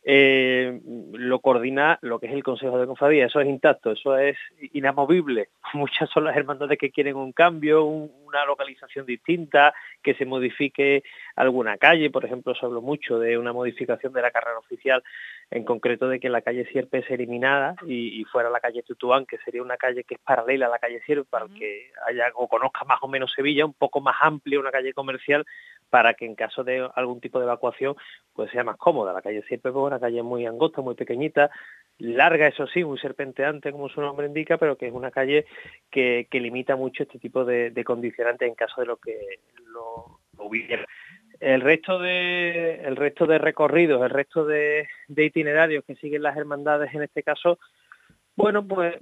eh, lo coordina lo que es el Consejo de Cofradía. Eso es intacto, eso es inamovible. Muchas son las hermandades que quieren un cambio, un, una localización distinta, que se modifique alguna calle. Por ejemplo, se habló mucho de una modificación de la carrera oficial, en concreto de que la calle Sierpes se eliminara y, y fuera la calle Tutuán, que sería una calle que es paralela a la calle Sierpes, para el que haya o conozca más o menos Sevilla, un poco más amplia, una calle comercial, para que en caso de algún tipo de evacuación pues sea más cómoda. La calle Sierpes es una calle muy angosta, muy pequeñita, larga, eso sí, muy serpenteante como su nombre indica, pero que es una calle que, que limita mucho este tipo de, de condicionantes en caso de lo que lo, lo hubiera. El resto de el resto de recorridos, el resto de, de itinerarios que siguen las hermandades en este caso, bueno, pues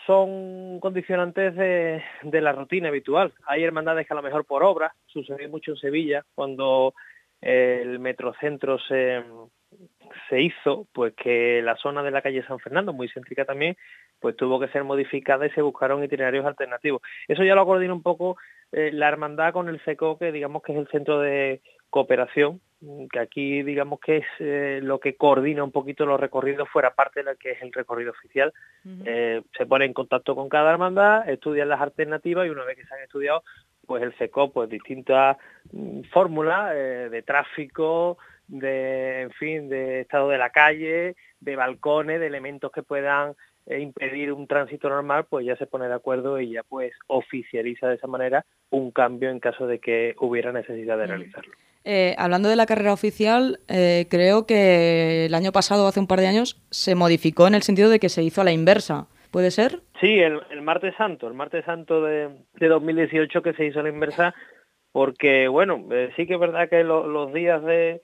son condicionantes de, de la rutina habitual. Hay hermandades que a lo mejor por obra, sucedió mucho en Sevilla, cuando el metrocentro se, se hizo, pues que la zona de la calle San Fernando, muy céntrica también, pues tuvo que ser modificada y se buscaron itinerarios alternativos. Eso ya lo coordina un poco eh, la hermandad con el C E C O, que digamos que es el centro de cooperación, que aquí digamos que es eh, lo que coordina un poquito los recorridos fuera parte de lo que es el recorrido oficial. Uh-huh. Eh, se pone en contacto con cada hermandad, estudian las alternativas y una vez que se han estudiado, pues el C E C O, pues distintas mm, fórmulas eh, de tráfico, de, en fin, de estado de la calle, de balcones, de elementos que puedan eh, impedir un tránsito normal, pues ya se pone de acuerdo y ya pues oficializa de esa manera un cambio en caso de que hubiera necesidad de uh-huh. realizarlo. Eh, hablando de la carrera oficial, eh, creo que el año pasado, hace un par de años, se modificó en el sentido de que se hizo a la inversa. ¿Puede ser? Sí, el, el martes santo, el martes santo de, de dos mil dieciocho que se hizo a la inversa, porque, bueno, eh, sí que es verdad que lo, los días de,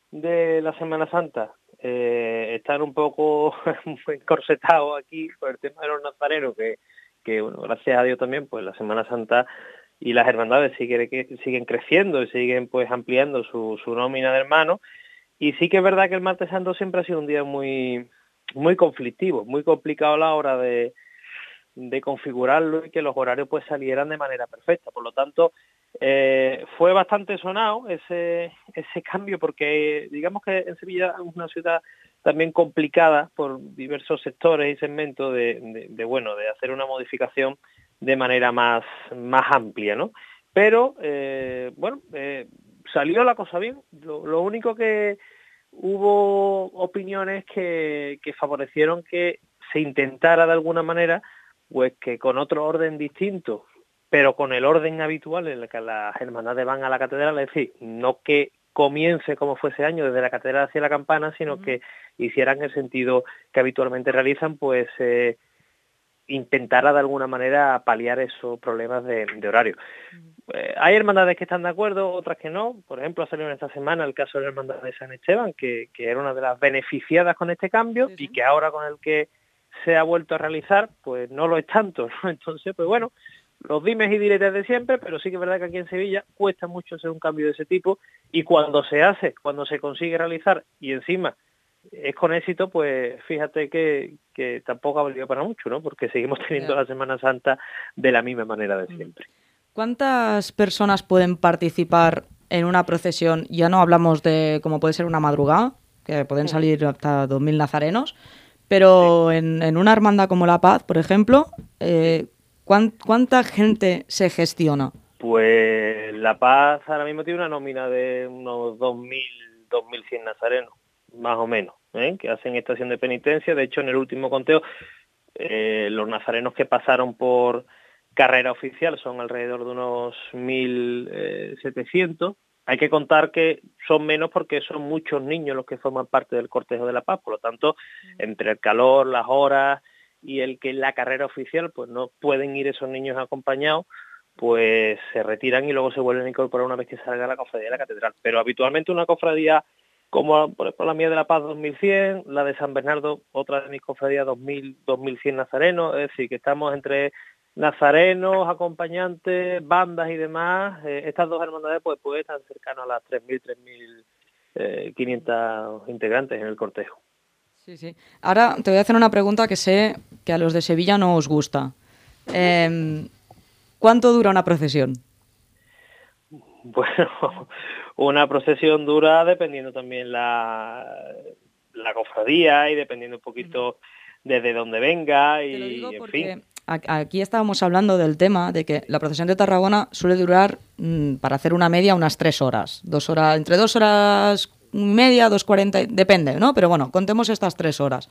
de la Semana Santa eh, están un poco encorsetados aquí por el tema de los nazarenos, que, que, bueno, gracias a Dios también, pues la Semana Santa y las hermandades siguen, siguen creciendo y siguen pues ampliando su, su nómina de hermanos, y sí que es verdad que el martes santo siempre ha sido un día muy muy conflictivo, muy complicado a la hora de, de configurarlo y que los horarios pues salieran de manera perfecta. Por lo tanto, eh, fue bastante sonado ese ese cambio, porque digamos que en Sevilla es una ciudad también complicada por diversos sectores y segmentos de, de, de bueno de hacer una modificación de manera más, más amplia, ¿no? Pero, eh, bueno, eh, salió la cosa bien. Lo, lo único que hubo opiniones que, que favorecieron que se intentara de alguna manera, pues que con otro orden distinto, pero con el orden habitual en el que las hermandades van a la catedral, es decir, no que comience como fue ese año desde la catedral hacia la campana, sino uh-huh. que hicieran el sentido que habitualmente realizan, pues eh, intentara de alguna manera paliar esos problemas de, de horario. Uh-huh. Eh, hay hermandades que están de acuerdo, otras que no. Por ejemplo, ha salido en esta semana el caso de la hermandad de San Esteban, que, que era una de las beneficiadas con este cambio, sí, sí. y que ahora con el que se ha vuelto a realizar, pues no lo es tanto, ¿no? Entonces, pues bueno, los dimes y diretes de siempre, pero sí que es verdad que aquí en Sevilla cuesta mucho hacer un cambio de ese tipo, y cuando se hace, cuando se consigue realizar, y encima es con éxito, pues fíjate que, que tampoco ha valido para mucho, ¿no? Porque seguimos teniendo yeah. la Semana Santa de la misma manera de siempre. ¿Cuántas personas pueden participar en una procesión? Ya no hablamos de cómo puede ser una madrugada, que pueden salir hasta dos mil nazarenos, pero sí. en, en una hermandad como La Paz, por ejemplo, eh, ¿cuánta gente se gestiona? Pues La Paz ahora mismo tiene una nómina de unos dos mil, dos mil cien nazarenos, más o menos, ¿eh? que hacen estación de penitencia. De hecho, en el último conteo, eh, los nazarenos que pasaron por carrera oficial son alrededor de unos mil setecientos. Hay que contar que son menos porque son muchos niños los que forman parte del cortejo de La Paz. Por lo tanto, entre el calor, las horas y el que en la carrera oficial pues no pueden ir esos niños acompañados, pues se retiran y luego se vuelven a incorporar una vez que salga la cofradía de la catedral. Pero habitualmente una cofradía como por ejemplo la mía de La Paz, dos mil cien, la de San Bernardo, otra de mis cofradías, dos mil, dos mil cien nazarenos, es decir, que estamos entre nazarenos, acompañantes, bandas y demás. Eh, estas dos hermandades pues, pues están cercanas a las tres mil, tres mil quinientos integrantes en el cortejo. Sí, sí. Ahora te voy a hacer una pregunta que sé que a los de Sevilla no os gusta. Eh, ¿Cuánto dura una procesión? Bueno, una procesión dura dependiendo también la, la cofradía y dependiendo un poquito desde dónde venga y, Te lo digo en porque fin. Aquí estábamos hablando del tema de que la procesión de Tarragona suele durar, mmm, para hacer una media, unas tres horas. Dos horas, entre dos horas y media, dos cuarenta, depende, ¿no? Pero bueno, contemos estas tres horas.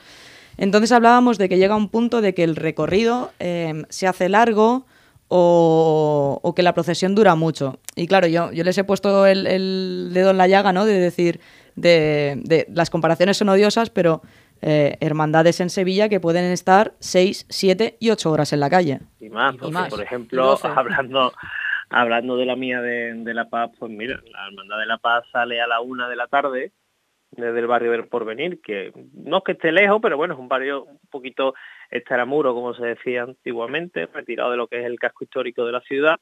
Entonces hablábamos de que llega un punto de que el recorrido eh, se hace largo o, o que la procesión dura mucho. Y claro, yo, yo les he puesto el, el dedo en la llaga, ¿no? De decir, de, de las comparaciones son odiosas, pero eh, hermandades en Sevilla que pueden estar seis, siete y ocho horas en la calle. Y más, y porque, más. por ejemplo, hablando hablando de la mía de, de La Paz, pues mira, la Hermandad de La Paz sale a la una de la tarde desde el barrio del Porvenir, que no es que esté lejos, pero bueno, es un barrio un poquito extramuro, como se decía antiguamente, retirado de lo que es el casco histórico de la ciudad,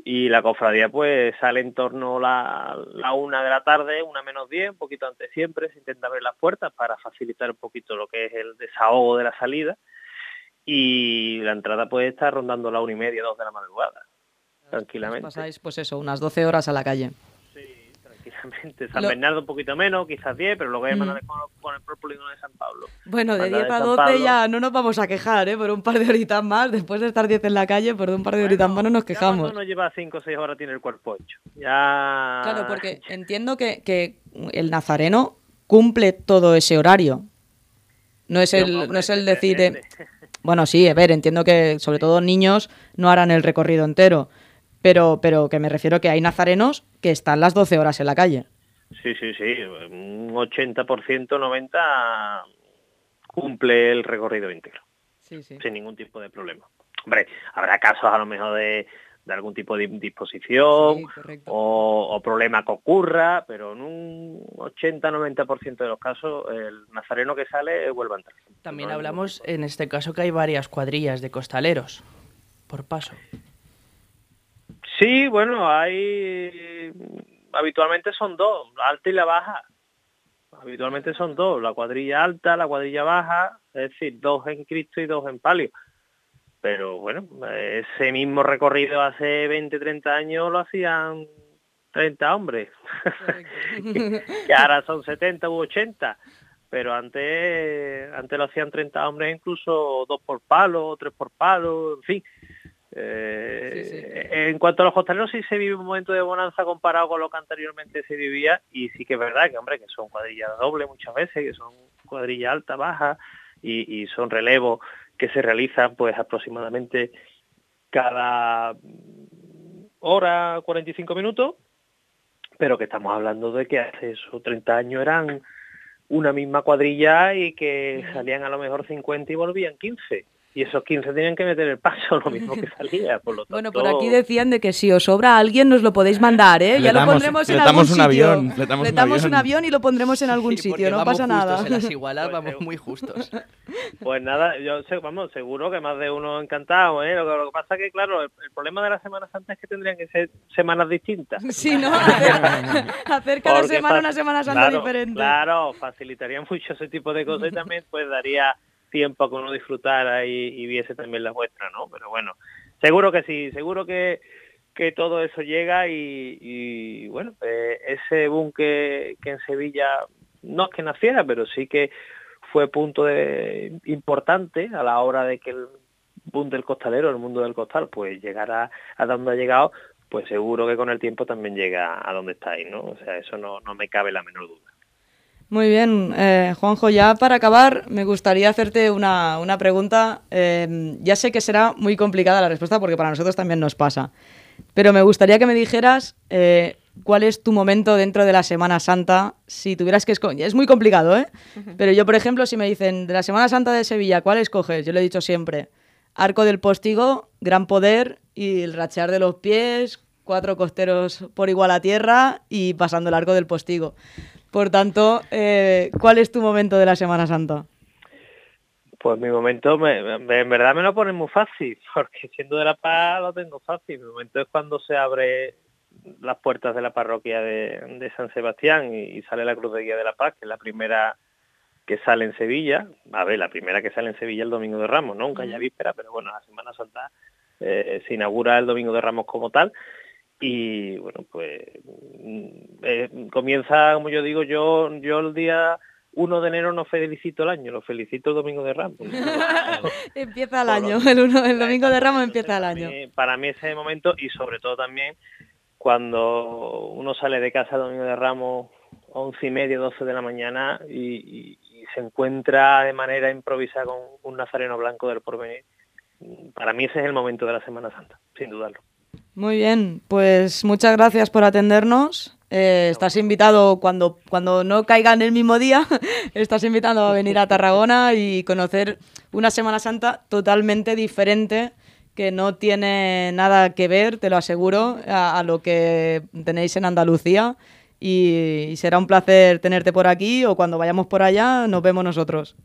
y la cofradía pues sale en torno a la, la una de la tarde, una menos diez, un poquito antes siempre, se intenta abrir las puertas para facilitar un poquito lo que es el desahogo de la salida, y la entrada puede estar rondando la una y media, dos de la madrugada, tranquilamente. Pasáis pues eso, unas doce horas a la calle. Sí, tranquilamente. San Lo... Bernardo un poquito menos, quizás diez, pero luego hay mm. con, con el propio polígono de San Pablo. Bueno, de diez a doce ya no nos vamos a quejar, ¿eh? Por un par de horitas más, después de estar diez en la calle, por un par de bueno, horitas más no nos quejamos. Ya cuando uno lleva cinco o seis horas tiene el cuerpo hecho. Ya... Claro, porque entiendo que, que el nazareno cumple todo ese horario. No es el, no, hombre, no es el decir... Eh... Bueno, sí, a ver, entiendo que sobre todo niños no harán el recorrido entero, pero, pero que me refiero que hay nazarenos que están las doce horas en la calle. Sí, sí, sí, un ochenta por ciento, noventa por ciento cumple el recorrido íntegro, sí, sí. sin ningún tipo de problema. Hombre, habrá casos a lo mejor de, de algún tipo de indisposición sí, o, o problema que ocurra, pero en un ochenta a noventa por ciento de los casos el nazareno que sale vuelve a entrar. También hablamos en este caso que hay varias cuadrillas de costaleros por paso. Sí, bueno, hay... habitualmente son dos, la alta y la baja. Habitualmente son dos, la cuadrilla alta, la cuadrilla baja, es decir, dos en Cristo y dos en palio. Pero bueno, ese mismo recorrido hace veinte, treinta años lo hacían treinta hombres, que ahora son setenta u ochenta, pero antes, antes lo hacían treinta hombres, incluso dos por palo, tres por palo, en fin. Eh, sí, sí. En cuanto a los costaleros, sí se vive un momento de bonanza comparado con lo que anteriormente se vivía, y sí que es verdad que, hombre, que son cuadrillas dobles muchas veces, que son cuadrillas alta, baja, y, y son relevos que se realizan pues aproximadamente cada hora, cuarenta y cinco minutos, pero que estamos hablando de que hace esos treinta años eran una misma cuadrilla y que salían a lo mejor cincuenta y volvían quince. Y esos quince tenían que meter el paso, lo mismo que salía, por lo tanto... Bueno, por aquí decían de que si os sobra alguien nos lo podéis mandar, ¿eh? Ya damos, lo pondremos en algún un sitio. Avión, le damos, le damos un, avión. un avión y lo pondremos en algún sí, sitio, no pasa nada. En las igualas vamos muy justos. Pues nada, yo sé, vamos, seguro que más de uno encantado, ¿eh? Lo que, lo que pasa es que, claro, el, el problema de la Semana Santa es que tendrían que ser semanas distintas. Sí, ¿no? Hacer, hacer cada Porque semana una Semana Santa claro, diferente. Claro, facilitaría mucho ese tipo de cosas y también pues daría tiempo a que uno disfrutara y, y viese también la vuestra, ¿no? Pero bueno, seguro que sí, seguro que, que todo eso llega y, y bueno, eh, ese boom que, que en Sevilla no es que naciera, pero sí que fue punto de, importante a la hora de que el boom del costalero, el mundo del costal, pues llegara a donde ha llegado, pues seguro que con el tiempo también llega a donde estáis, ¿no? O sea, eso no, no me cabe la menor duda. Muy bien, eh, Juanjo, ya para acabar me gustaría hacerte una, una pregunta. Eh, ya sé que será muy complicada la respuesta porque para nosotros también nos pasa, pero me gustaría que me dijeras eh, cuál es tu momento dentro de la Semana Santa, si tuvieras que escoger. Es muy complicado, ¿eh? Uh-huh. Pero yo, por ejemplo, si me dicen de la Semana Santa de Sevilla, ¿cuál escoges? Yo lo he dicho siempre, Arco del Postigo, Gran Poder y el rachear de los pies, cuatro costeros por igual a tierra y pasando el Arco del Postigo. Por tanto, eh, ¿cuál es tu momento de la Semana Santa? Pues mi momento, me, me, en verdad me lo ponen muy fácil, porque siendo de La Paz lo tengo fácil. Mi momento es cuando se abre las puertas de la parroquia de, de San Sebastián y, y sale la Cruz de Guía de La Paz, que es la primera que sale en Sevilla. A ver, la primera que sale en Sevilla el Domingo de Ramos, ¿no? Nunca ya víspera, pero bueno, la Semana Santa eh, se inaugura el Domingo de Ramos como tal. Y bueno, pues eh, comienza, como yo digo, yo yo el día uno de enero no felicito el año, lo felicito el Domingo de Ramos. Empieza el año, el, uno, el Domingo de Ramos empieza el año. Para mí, para mí ese es el momento, y sobre todo también cuando uno sale de casa el Domingo de Ramos once y media, doce de la mañana y, y, y se encuentra de manera improvisada con un nazareno blanco del Porvenir. Para mí ese es el momento de la Semana Santa, sin dudarlo. Muy bien, pues muchas gracias por atendernos. Eh, estás invitado cuando, cuando no caiga en el mismo día, estás invitado a venir a Tarragona y conocer una Semana Santa totalmente diferente que no tiene nada que ver, te lo aseguro, a, a lo que tenéis en Andalucía. Y, y será un placer tenerte por aquí, o cuando vayamos por allá nos vemos nosotros.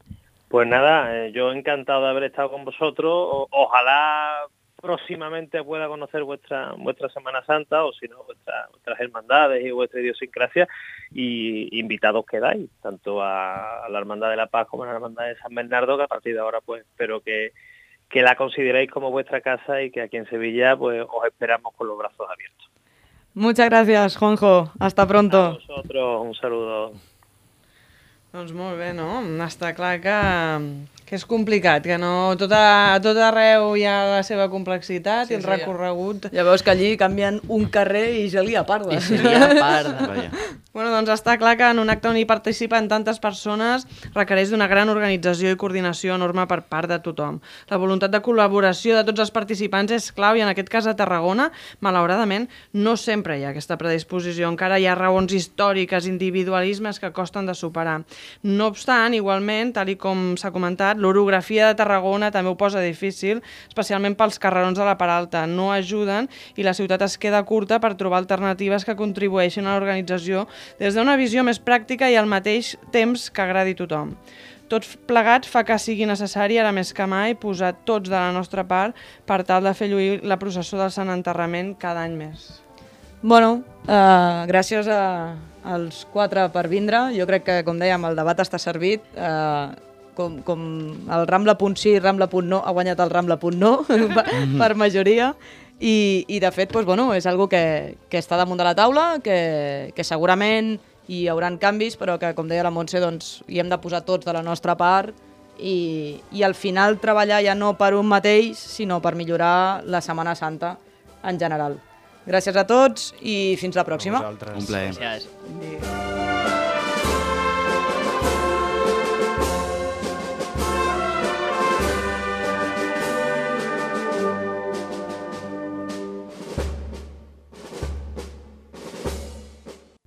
Pues nada, eh, yo encantado de haber estado con vosotros. O, ojalá próximamente pueda conocer vuestra vuestra Semana Santa, o si no, vuestra, vuestras hermandades y vuestra idiosincrasia, y invitados quedáis, tanto a, a la Hermandad de la Paz como a la Hermandad de San Bernardo, que a partir de ahora pues espero que que la consideréis como vuestra casa, y que aquí en Sevilla pues os esperamos con los brazos abiertos. Muchas gracias, Juanjo. Hasta pronto. A vosotros, un saludo. Doncs molt bé, no? Està clar que, que és complicat, que no tot, a, tot arreu hi ha la seva complexitat, sí, i el sí, recorregut... Ja veus que allí canvien un carrer i ja li aparda. I se li aparda. Bueno, doncs està clar que en un acte on hi participen tantes persones requereix d'una gran organització i coordinació enorme per part de tothom. La voluntat de col·laboració de tots els participants és clau, i en aquest cas a Tarragona, malauradament, no sempre hi ha aquesta predisposició. Encara hi ha raons històriques, individualismes que costen de superar. No obstant, igualment, tal i com s'ha comentat, l'orografia de Tarragona també ho posa difícil, especialment pels carrerons de la Part Alta. No ajuden i la ciutat es queda curta per trobar alternatives que contribueixin a l'organització des d'una visió més pràctica i al mateix temps que agradi a tothom. Tot plegat fa que sigui necessari, ara més que mai, posar tots de la nostra part per tal de fer lluir la processó del Sant Enterrament cada any més. Bueno, uh, gràcies a, als quatre per vindre. Jo crec que, com dèiem, el debat està servit. Uh, com, com el Rambla punt sí, Rambla punt no, ha guanyat el Rambla punt no per, per majoria. I, i de fet, doncs, bueno, és algo que, que està damunt de la taula, que, que segurament hi haurà canvis, però que, com deia la Montse, doncs, hi hem de posar tots de la nostra part, i, i al final treballar ja no per un mateix, sinó per millorar la Setmana Santa en general. Gràcies a tots i fins la pròxima. Un plaer. Gràcies.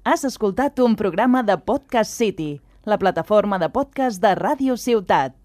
Has escoltat un programa de Podcast City, la plataforma de podcast de Ràdio Ciutat.